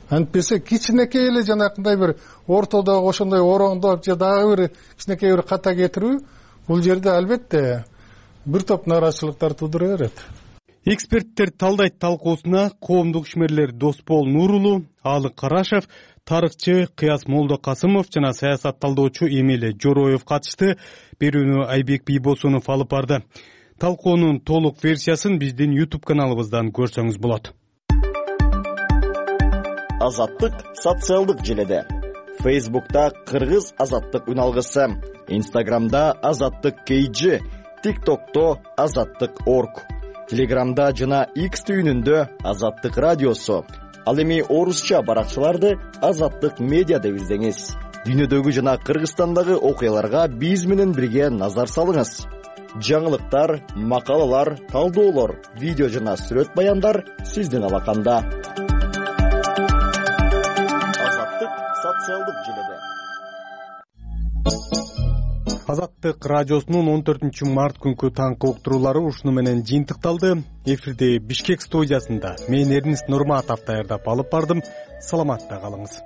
Антпесе кичинекей эле жанакындай бир ортодогу ошондой ороңдоп же дагы бир кичинекей бир ката кетирүү бул жерде албетте бир топ наразычылыктар туудура берет. Эксперттер талдайт талкуусуна коомдук ишмерлер Доспол Нурулу, Алык Карашев, тарыхчы Кыяс Молдокасымов жана саясат талдоочу Эмиле Жороев катышты. Берүүнү Айбек Бийбосунов алып барды. Талкуунун толук версиясын биздин YouTube каналыбыздан көрсөңүз болот. Азаттык социалдык желеде. Facebook'ta Кыргыз азаттык үналгысы, Instagram'da азаттык KG, TikTok'to азаттык.org, Telegram'da жана X түйүнүндө азаттык радиосу, Ал эми орусча баракчаларды Азаттык медиа деп издеңиз. Дүйнөдөгү жана Кыргызстандагы окуяларга биз менен бирге назар салыңыз. Жаңылыктар, макалалар, талдоолор, видео жана сүрөт баяндар сиздин алаканда. Азаттык социалдык желеде. Азаттык радиосунун 14 март күнкү таңкы уктуруулары ушуну менен жыйынтыкталды. Эфирде Бишкек студиясында мен Эрнист Нурматов даярдап алып бардым. Саламатта калыңыз.